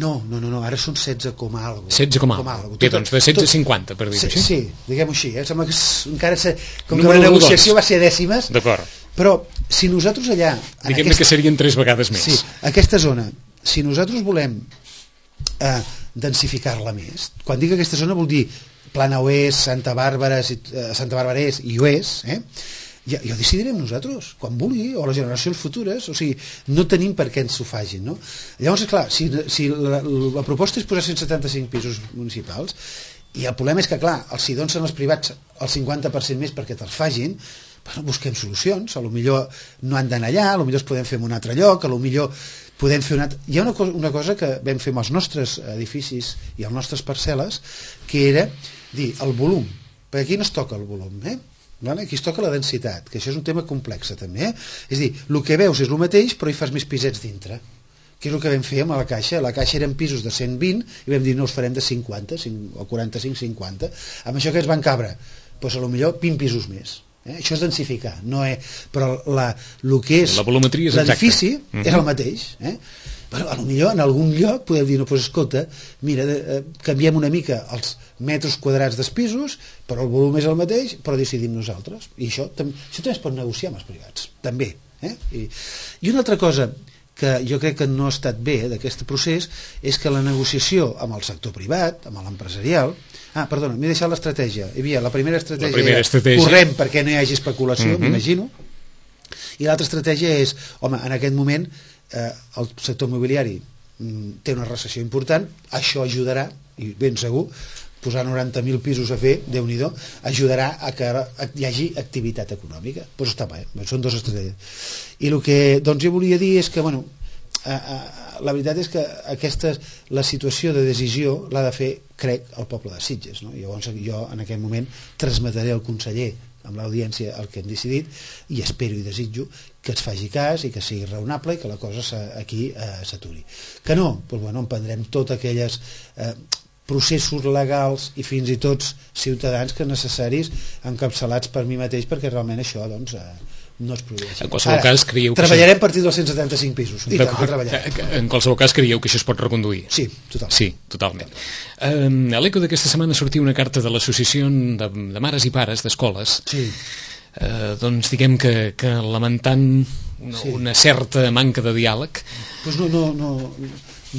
No, no, no, no, ara són setze coma alguna cosa. setze coma alguna cosa. Bé, doncs de setze a cinquanta, per dir-ho així. Sí, diguem-ho així. Eh? Sembla que és, encara se, com Número que la negociació dos. Va ser dècimes. D'acord. Però si nosaltres allà... Diguem-ne aquesta, que serien tres vegades més. Sí, aquesta zona, si nosaltres volem eh, densificar-la més, quan dic aquesta zona vol dir Plana Oest, Santa Bàrbara, eh, Santa Bàrbara Est i Oest, eh? Ja, ja ho decidirem nosaltres, quan vulgui, o les generacions futures, o sigui, no tenim per què ens ho fagin, no? Llavors, clar, si, si la, la proposta és posar cent setanta-cinc pisos municipals, i el problema és que, clar, els si donen els privats el cinquanta per cent més perquè te'ls fagin, bueno, busquem solucions, a lo millor no han d'anar allà, a lo millor es podem fer en un altre lloc, a lo millor podem fer una... Hi ha una cosa, una cosa que vam fer amb els nostres edificis i les nostres parcel·les, que era dir el volum, perquè aquí no es toca el volum, eh? Vale? Aquí es toca la densitat, que això és un tema complex també, eh? És a dir, el que veus és el mateix però hi fas més pisets dintre, que és el que vam fer amb la Caixa. La Caixa eren pisos de cent vint i vam dir no, els farem de cinquanta o quaranta-cinc cinquanta, amb això que ens van cabre doncs a lo millor vint pisos més, eh? Això és densificar, no és... però la, el que és l'edifici uh-huh. és el mateix, eh? Però a lo millor en algun lloc podem dir, no, doncs escolta, mira, eh, canviem una mica els metres quadrats dels pisos, però el volum és el mateix, però decidim nosaltres. I això, tam això també es pot negociar amb els privats, també. Eh? I, I una altra cosa que jo crec que no ha estat bé d'aquest procés és que la negociació amb el sector privat, amb l'empresarial... Ah, perdona, m'he deixat l'estratègia. Hi havia la primera estratègia, la primera estratègia. Correm perquè no hi hagi especulació, uh-huh. m'imagino, i l'altra estratègia és, home, en aquest moment eh, el sector immobiliari mm, té una recessió important, això ajudarà, i ben segur, posar noranta mil pisos a fer, Déu-n'hi-do, ajudarà a que hi hagi activitat econòmica. Doncs pues està bé, són dues estratègies. I el que doncs, jo volia dir és que, bueno, eh, eh, la veritat és que aquesta, la situació de decisió l'ha de fer, crec, el poble de Sitges, no? Llavors jo en aquest moment transmetré al conseller amb l'audiència el que hem decidit i espero i desitjo que es faci cas i que sigui raonable i que la cosa aquí eh, s'aturi. Que no, doncs, bueno, emprendrem totes aquelles eh, processos legals i fins i tot ciutadans que necessaris encapçalats per mi mateix perquè realment això doncs, eh, no es produeix. En qualsevol Ara, cas creieu que treballarem això... a partir dels cent setanta-cinc pisos i tant, treballarem. En qualsevol cas creieu que això es pot reconduir? Sí, totalment. Sí, totalment. Eh, a l'eco d'aquesta setmana sortia una carta de l'associació de, de mares i pares d'escoles sí. eh, doncs diguem que, que lamentant una, sí. una certa manca de diàleg. Pues no, no, no,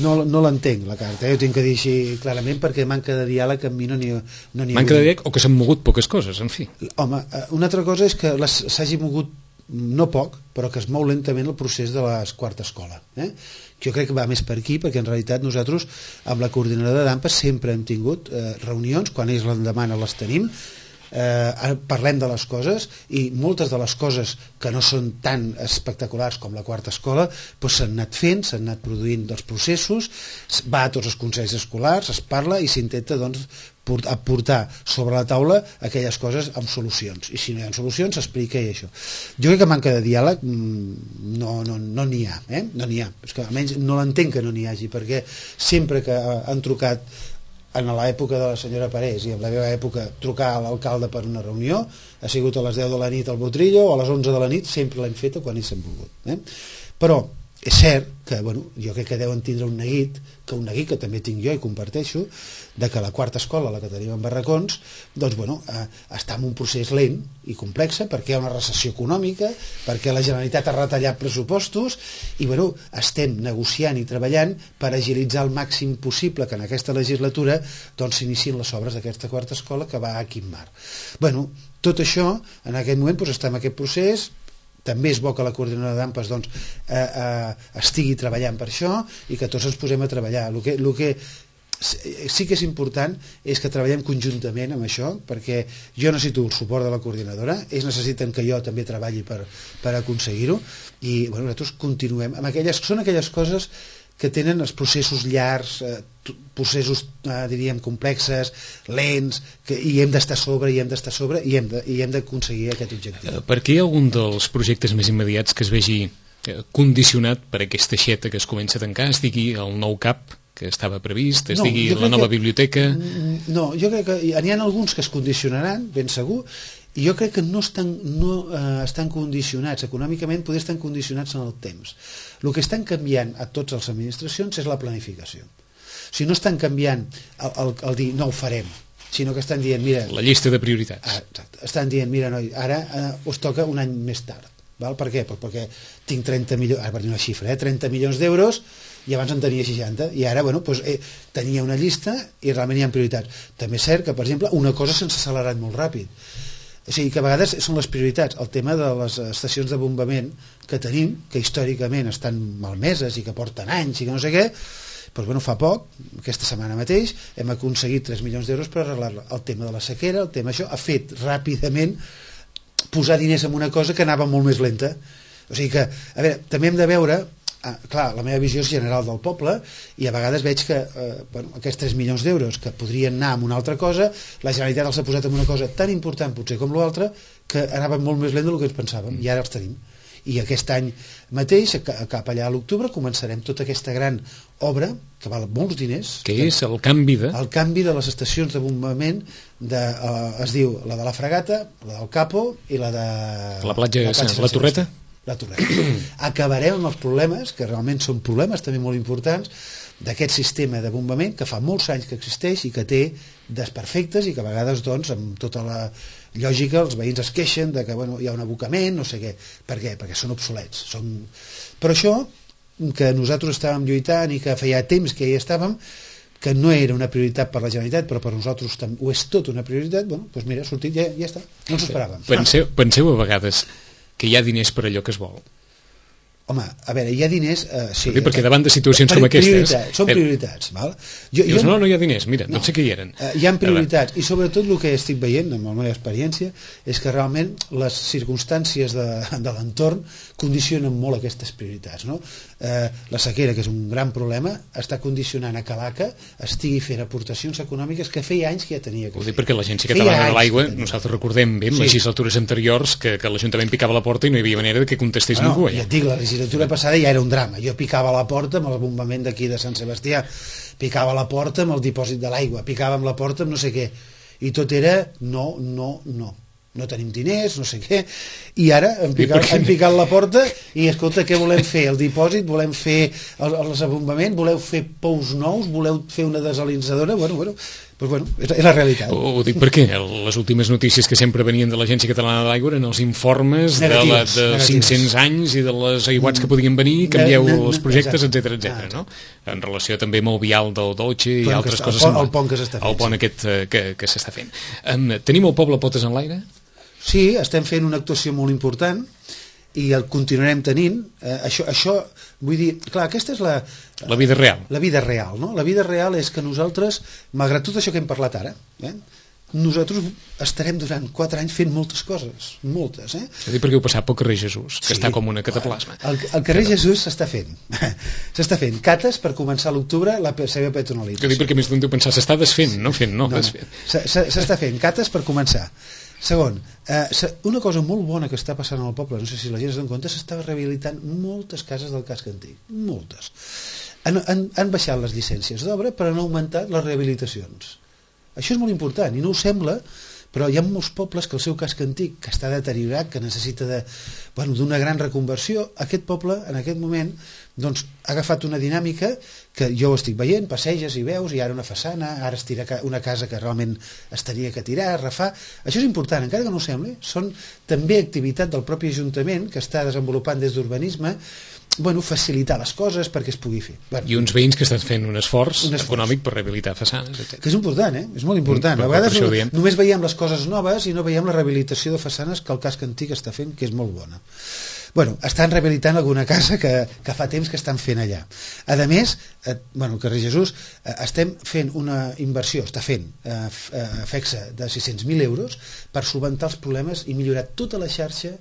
no, no l'entenc la carta, eh? Ho tinc que dir així clarament perquè manca de diàleg amb mi no n'hi no manca de diàleg o que s'han mogut poques coses, en fi. Home, una altra cosa és que s'hagi mogut no poc, però que es mou lentament el procés de la quarta escola, eh? Jo crec que va més per aquí, perquè en realitat nosaltres amb la coordinadora d'A M P A sempre hem tingut eh, reunions, quan ells les demanen les tenim, eh, parlem de les coses i moltes de les coses que no són tan espectaculars com la quarta escola doncs s'han anat fent, s'han anat produint dels processos, va a tots els consells escolars, es parla i s'intenta doncs aportar sobre la taula aquelles coses amb solucions, i si no hi ha solucions s'explica i això. Jo crec que manca de diàleg no n'hi no, no ha, eh? no n'hi ha, és que almenys no l'entenc que no n'hi hagi, perquè sempre que han trucat en l'època de la senyora Parés i en la meva època trucar a l'alcalde per una reunió ha sigut a les deu de la nit al Botrillo o a les onze de la nit, sempre l'hem feta quan hi s'han volgut, eh? Però és cert que, bueno, jo crec que deuen tindre un neguit, que un neguit que també tinc jo i comparteixo, de que la quarta escola, la que tenim en Barracons, doncs, bueno, eh, està en un procés lent i complex, perquè hi ha una recessió econòmica, perquè la Generalitat ha retallat pressupostos, i, bueno, estem negociant i treballant per agilitzar el màxim possible que en aquesta legislatura doncs s'iniciïn les obres d'aquesta quarta escola que va a Quimbar. Bueno, tot això, en aquest moment, doncs, està en aquest procés. També és bo que la coordinadora d'A M P A S doncs, eh, eh, estigui treballant per això i que tots ens posem a treballar. El que, el que sí que és important és que treballem conjuntament amb això, perquè jo necessito el suport de la coordinadora, ells necessiten que jo també treballi per, per aconseguir-ho, i bueno, nosaltres continuem amb aquelles, són aquelles coses que tenen els processos llargs, eh, processos, eh, diríem, complexes, lents, que, i hem d'estar sobre, i hem d'estar sobre, i hem de, i hem d'aconseguir aquest objectiu. Per què hi ha algun dels projectes més immediats que es vegi condicionat per aquesta aixeta que es comença a tancar, es digui el nou C A P que estava previst, es no, digui la nova que, biblioteca? No, jo crec que n'hi ha alguns que es condicionaran, ben segur, i jo crec que no estan, no, eh, estan condicionats econòmicament, poder estar condicionats en el temps. El que estan canviant a totes les administracions és la planificació. O sigui, no estan canviant el, el, el dir no ho farem, sinó que estan dient, mira... La llista de prioritats. Ah, exacte, estan dient, mira, noi, ara eh, us toca un any més tard. Val? Per què? Pues perquè tinc trenta milions, ara per dir una xifra, eh, trenta milions d'euros, i abans en tenia seixanta, i ara, bueno, pues, eh, tenia una llista i realment hi ha prioritats. També és cert que, per exemple, una cosa s'ha accelerat molt ràpid. O sigui, que a vegades són les prioritats. El tema de les estacions de bombament que tenim, que històricament estan malmeses i que porten anys i que no sé què, doncs, bueno, fa poc, aquesta setmana mateix, hem aconseguit tres milions d'euros per arreglar-la. El tema de la sequera, el tema això, ha fet ràpidament posar diners en una cosa que anava molt més lenta. O sigui que, a veure, també hem de veure... Ah, clar, la meva visió és general del poble i a vegades veig que eh, bueno, aquests tres milions d'euros que podrien anar en una altra cosa, la Generalitat els ha posat en una cosa tan important potser com l'altra que anava molt més lent del que ens pensàvem, i ara els tenim. I aquest any mateix, cap allà a l'octubre, començarem tota aquesta gran obra que val molts diners, que és el canvi de... el canvi de les estacions de bombament de, uh, es diu la de la Fragata, la del Capo i la de la platja, la, platja la Torreta. La Torreta. Acabarem amb els problemes, que realment són problemes també molt importants, d'aquest sistema de bombament que fa molts anys que existeix i que té desperfectes i que a vegades, doncs, amb tota la lògica, els veïns es queixen de que, bueno, hi ha un abocament, no sé què. Per què? Perquè són obsolets. Són... Però això, que nosaltres estàvem lluitant i que feia temps que hi estàvem, que no era una prioritat per la Generalitat, però per nosaltres ho és tot una prioritat, bueno, doncs mira, ha sortit, ja, ja està. No ens ho esperàvem. Penseu, penseu a vegades que hi ha diners per allò que es vol. Home, a veure, hi ha diners... Eh, sí, sí, perquè davant de situacions com aquestes... Són prioritats, val? Jo, Dius, jo, no, no hi ha diners, mira, no, no sé què hi eren. Eh, hi ha prioritats, i sobretot el que estic veient, amb la meva experiència, és que realment les circumstàncies de, de l'entorn condicionen molt aquestes prioritats, no? Eh, la sequera, que és un gran problema, està condicionant a que l'A C A estigui fent aportacions econòmiques que feia anys que ja tenia que fer. Ho dic perquè l'Agència Catalana de l'Aigua, nosaltres recordem bé, en sí. legislatures anteriors, que, que l'Ajuntament picava la porta i no hi havia manera de que contestés bueno, ningú. Ja. ja et dic, la legislatura passada ja era un drama. Jo picava la porta amb el bombament d'aquí de Sant Sebastià, picava la porta amb el dipòsit de l'aigua, picava amb la porta amb no sé què, i tot era no, no, no. No tenim diners, no sé què, i ara hem picat, hem picat la porta i escolta, què volem fer? El dipòsit, volem fer el, el desenvolupament, voleu fer pous nous, voleu fer una desalinsadora, bueno, bueno, pues bueno, és, és la realitat. Ho, ho dic perquè les últimes notícies que sempre venien de l'Agència Catalana de l'Aigua eren els informes negatives, de, la, de cinc-cents anys i de les aiguats que podien venir, canvieu ne, ne, els projectes, etcètera, etcètera, no? En relació també amb el vial del Dolce i altres coses. El pont, el pont que s'està fent. El pont aquest que, que s'està fent. Um, tenim el poble potes en l'aire? Sí, estem fent una actuació molt important i el continuarem tenint. Eh, això, això, vull dir, clar, aquesta és la... La vida real. La vida real, no? La vida real és que nosaltres, malgrat tot això que hem parlat ara, eh, nosaltres estarem durant quatre anys fent moltes coses, moltes, eh? És a dir, perquè heu passat pel carrer Jesús, que sí, està com una cataplasma. El, el carrer Però... Jesús s'està fent. S'està fent. Cates per començar a l'octubre la seva peatonalització. És a dir, perquè més d'un deu pensar, s'està desfent, no fent, no, no, desfent. no. S'està fent. Cates per començar. Segon, eh, una cosa molt bona que està passant al poble, no sé si la gent es dona compte, s'està rehabilitant moltes cases del casc antic, moltes. Han, han, han baixat les llicències d'obra, però han augmentat les rehabilitacions. Això és molt important, i no ho sembla però hi ha molts pobles que el seu casc antic, que està deteriorat, que necessita de, bueno, d'una gran reconversió. Aquest poble, en aquest moment, doncs, ha agafat una dinàmica que jo ho estic veient, passeges i veus, i ara una façana, ara es tira una casa que realment es tenia que tirar, refar. Això és important, encara que no ho sembli, són també activitat del propi Ajuntament que està desenvolupant des d'urbanisme, bueno, facilitar les coses perquè es pugui fer. Bueno, i uns veïns que estan fent un esforç, un esforç econòmic per rehabilitar façanes, etcètera. Que és important, eh? És molt important. Mm, a vegades no, només veiem les coses noves i no veiem la rehabilitació de façanes que el casc antic està fent, que és molt bona. Bueno, estan rehabilitant alguna casa que, que fa temps que estan fent allà. A més, eh, bueno, el carrer Jesús, eh, estem fent una inversió, està fent eh, eh, fexa de sis-cents mil euros per solventar els problemes i millorar tota la xarxa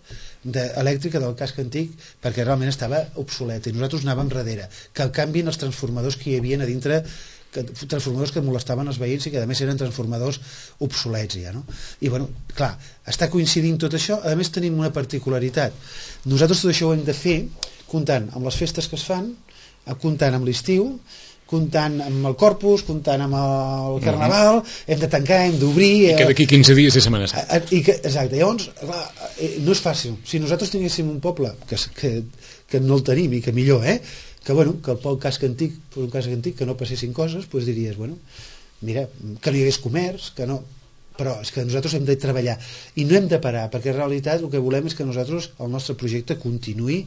de, elèctrica del casc antic, perquè realment estava obsoleta i nosaltres anàvem darrere, que canvien els transformadors que hi havia a dintre, que, transformadors que molestaven els veïns i que a més eren transformadors obsolets ja, no? I bueno, clar, està coincidint tot això. A més tenim una particularitat, nosaltres tot això ho hem de fer comptant amb les festes que es fan, comptant amb l'estiu, comptant amb el Corpus, comptant amb el Carnaval, mm-hmm. hem de tancar, hem d'obrir... I que d'aquí quinze dies és Setmana Santa. I que, exacte, llavors, clar, no és fàcil. Si nosaltres tinguéssim un poble que, que, que no el tenim i que millor, eh? que, bueno, que el poc casc antic, un casc antic, que no passessin coses, doncs diries, bueno, mira, que no hi hagués comerç, que no... Però és que nosaltres hem de treballar i no hem de parar, perquè en realitat el que volem és que nosaltres, el nostre projecte continuï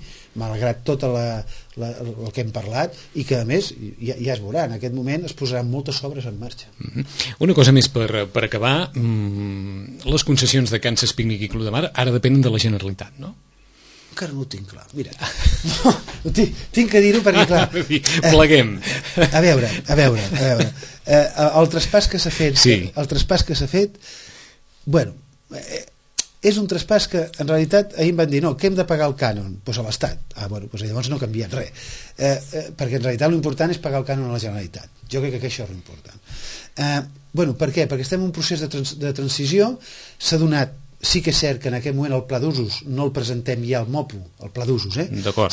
malgrat tot la, la, el que hem parlat, i que a més ja, ja es veurà, en aquest moment es posaran moltes obres en marxa. Mm-hmm. Una cosa més per, per acabar, mm, les concessions de Kansas Picnic i Club de Mar ara depenen de la Generalitat, no? Encara no ho tinc clar, mira, no, tinc, tinc que dir-ho perquè clar, pleguem. Eh, a veure, a veure, a veure eh, el traspàs que s'ha fet, sí. el traspàs que s'ha fet, bueno, eh, és un traspàs que en realitat ahir em van dir, no, que hem de pagar el cànon, doncs a l'Estat. Ah, bueno, doncs llavors no canvien res, eh, eh, perquè en realitat l'important és pagar el cànon a la Generalitat. Jo crec que això és l'important. Eh, bueno, per què? Perquè estem en un procés de, trans de transició, s'ha donat. Sí que és cert que en aquest moment el pla d'usos no el presentem ja al MOPU, el pla d'usos, eh?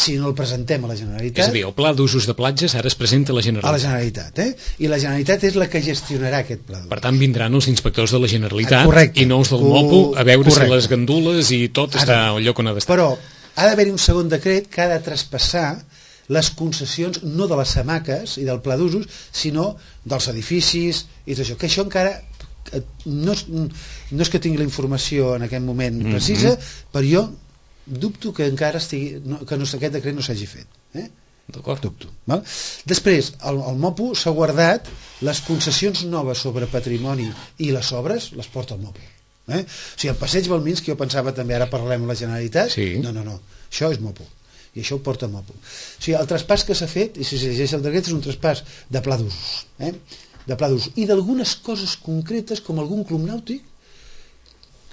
sinó el presentem a la Generalitat. És a dir, el pla d'usos de platges ara es presenta a la Generalitat. A la Generalitat, eh? I la Generalitat és la que gestionarà aquest pla d'usos. Per tant, vindran els inspectors de la Generalitat, ah, correcte, i no els del MOPU a veure correcte. si les gandules i tot ara, està al lloc on ha d'estar. Però ha d'haver-hi un segon decret que ha de traspassar les concessions no de les hamaques i del pla d'usos, sinó dels edificis i tot això, que això encara... No és, no és que tingui la informació en aquest moment precisa, mm-hmm. però jo dubto que encara estigui, no, que no, aquest decret no s'hagi fet, eh? D'acord. Dubto, val? Després el, el MOPU s'ha guardat les concessions noves sobre patrimoni i les obres les porta el MOPU, eh? O sigui, el passeig Balminski, jo pensava també, ara parlem amb la Generalitat, sí. no, no, no, això és MOPU i això ho porta MOPU. O sigui, el traspàs que s'ha fet, i si s'exigeix el decret, és un traspàs de pla d'usos, eh? de pla d'ús, i d'algunes coses concretes com algun club nàutic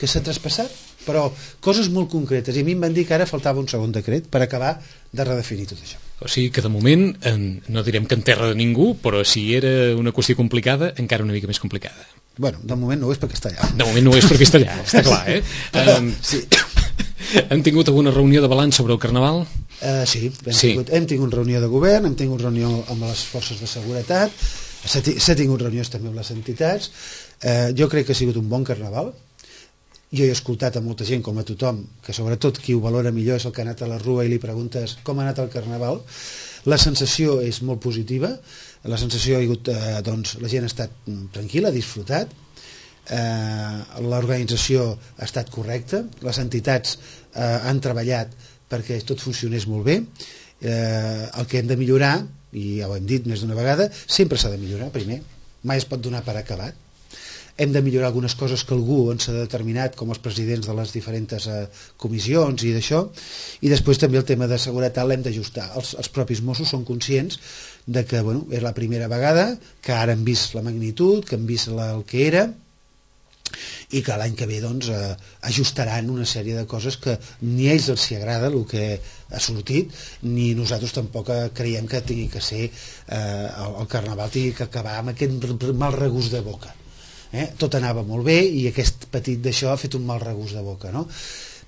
que s'ha traspassat, però coses molt concretes, i a mi em van dir que ara faltava un segon decret per acabar de redefinir tot això. O sigui que de moment, en, no direm que en terra de ningú, però si era una qüestió complicada, encara una mica més complicada. Bueno, de moment no ho és perquè està allà. De moment no ho és perquè està allà, està clar, eh? Um, sí. Hem tingut alguna reunió de balanç sobre el Carnaval? Uh, sí, hem, sí. Tingut, hem tingut reunió de govern, hem tingut reunió amb les forces de seguretat, s'ha tingut reunions també amb les entitats. Eh, jo crec que ha sigut un bon Carnaval. Jo he escoltat a molta gent, com a tothom, que sobretot qui ho valora millor és el que ha anat a la rua i li preguntes com ha anat el Carnaval. La sensació és molt positiva, la sensació ha sigut, eh, doncs, la gent ha estat tranquil·la, ha disfrutat, eh, l'organització ha estat correcta, les entitats eh, han treballat perquè tot funcionés molt bé. Eh, el que hem de millorar, i ja ho hem dit més d'una vegada, sempre s'ha de millorar primer, mai es pot donar per acabat. Hem de millorar algunes coses que algú ens ha determinat, com els presidents de les diferents eh, comissions i d'això, i després també el tema de seguretat l'hem d'ajustar. Els, els propis Mossos són conscients de que, bueno, és la primera vegada que ara hem vist la magnitud, que hem vist la, el que era, i que l'any que ve doncs, eh, ajustaran una sèrie de coses que ni a ells els hi agrada el que ha sortit, ni nosaltres tampoc creiem que tingui que ser eh, el, el Carnaval tingui que acabar amb aquest mal regust de boca, eh? Tot anava molt bé i aquest petit d'això ha fet un mal regust de boca, no?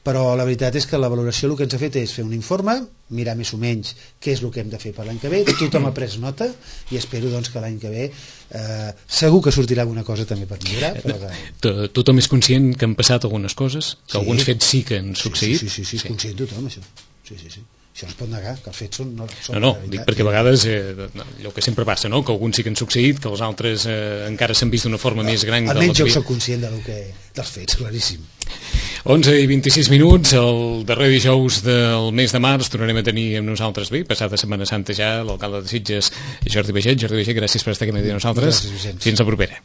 però la veritat és que la valoració el que ens ha fet és fer un informe, mirar més o menys què és el que hem de fer per l'any que ve, tothom ha pres nota i espero doncs, que l'any que ve eh, segur que sortirà alguna cosa també per millorar, però que... Tothom és conscient que han passat algunes coses, que sí. alguns fets sí que han succeït. Sí, sí, sí, sí, sí. conscient tothom això. Sí, sí, sí. Això no es pot negar, que els fets són... No, són no, no, dic perquè a vegades eh, allò que sempre passa, no? Que alguns sí que han succeït, que els altres eh, encara s'han vist d'una forma no, més gran. Almenys jo soc conscient del que, dels fets, claríssim. onze i vint-i-sis minuts, el darrer dijous del mes de març tornarem a tenir amb nosaltres, bé, passada Setmana Santa ja, l'alcalde de Sitges, Jordi Baiget. Jordi Baiget, gràcies per estar aquí amb nosaltres. Gràcies, fins la propera.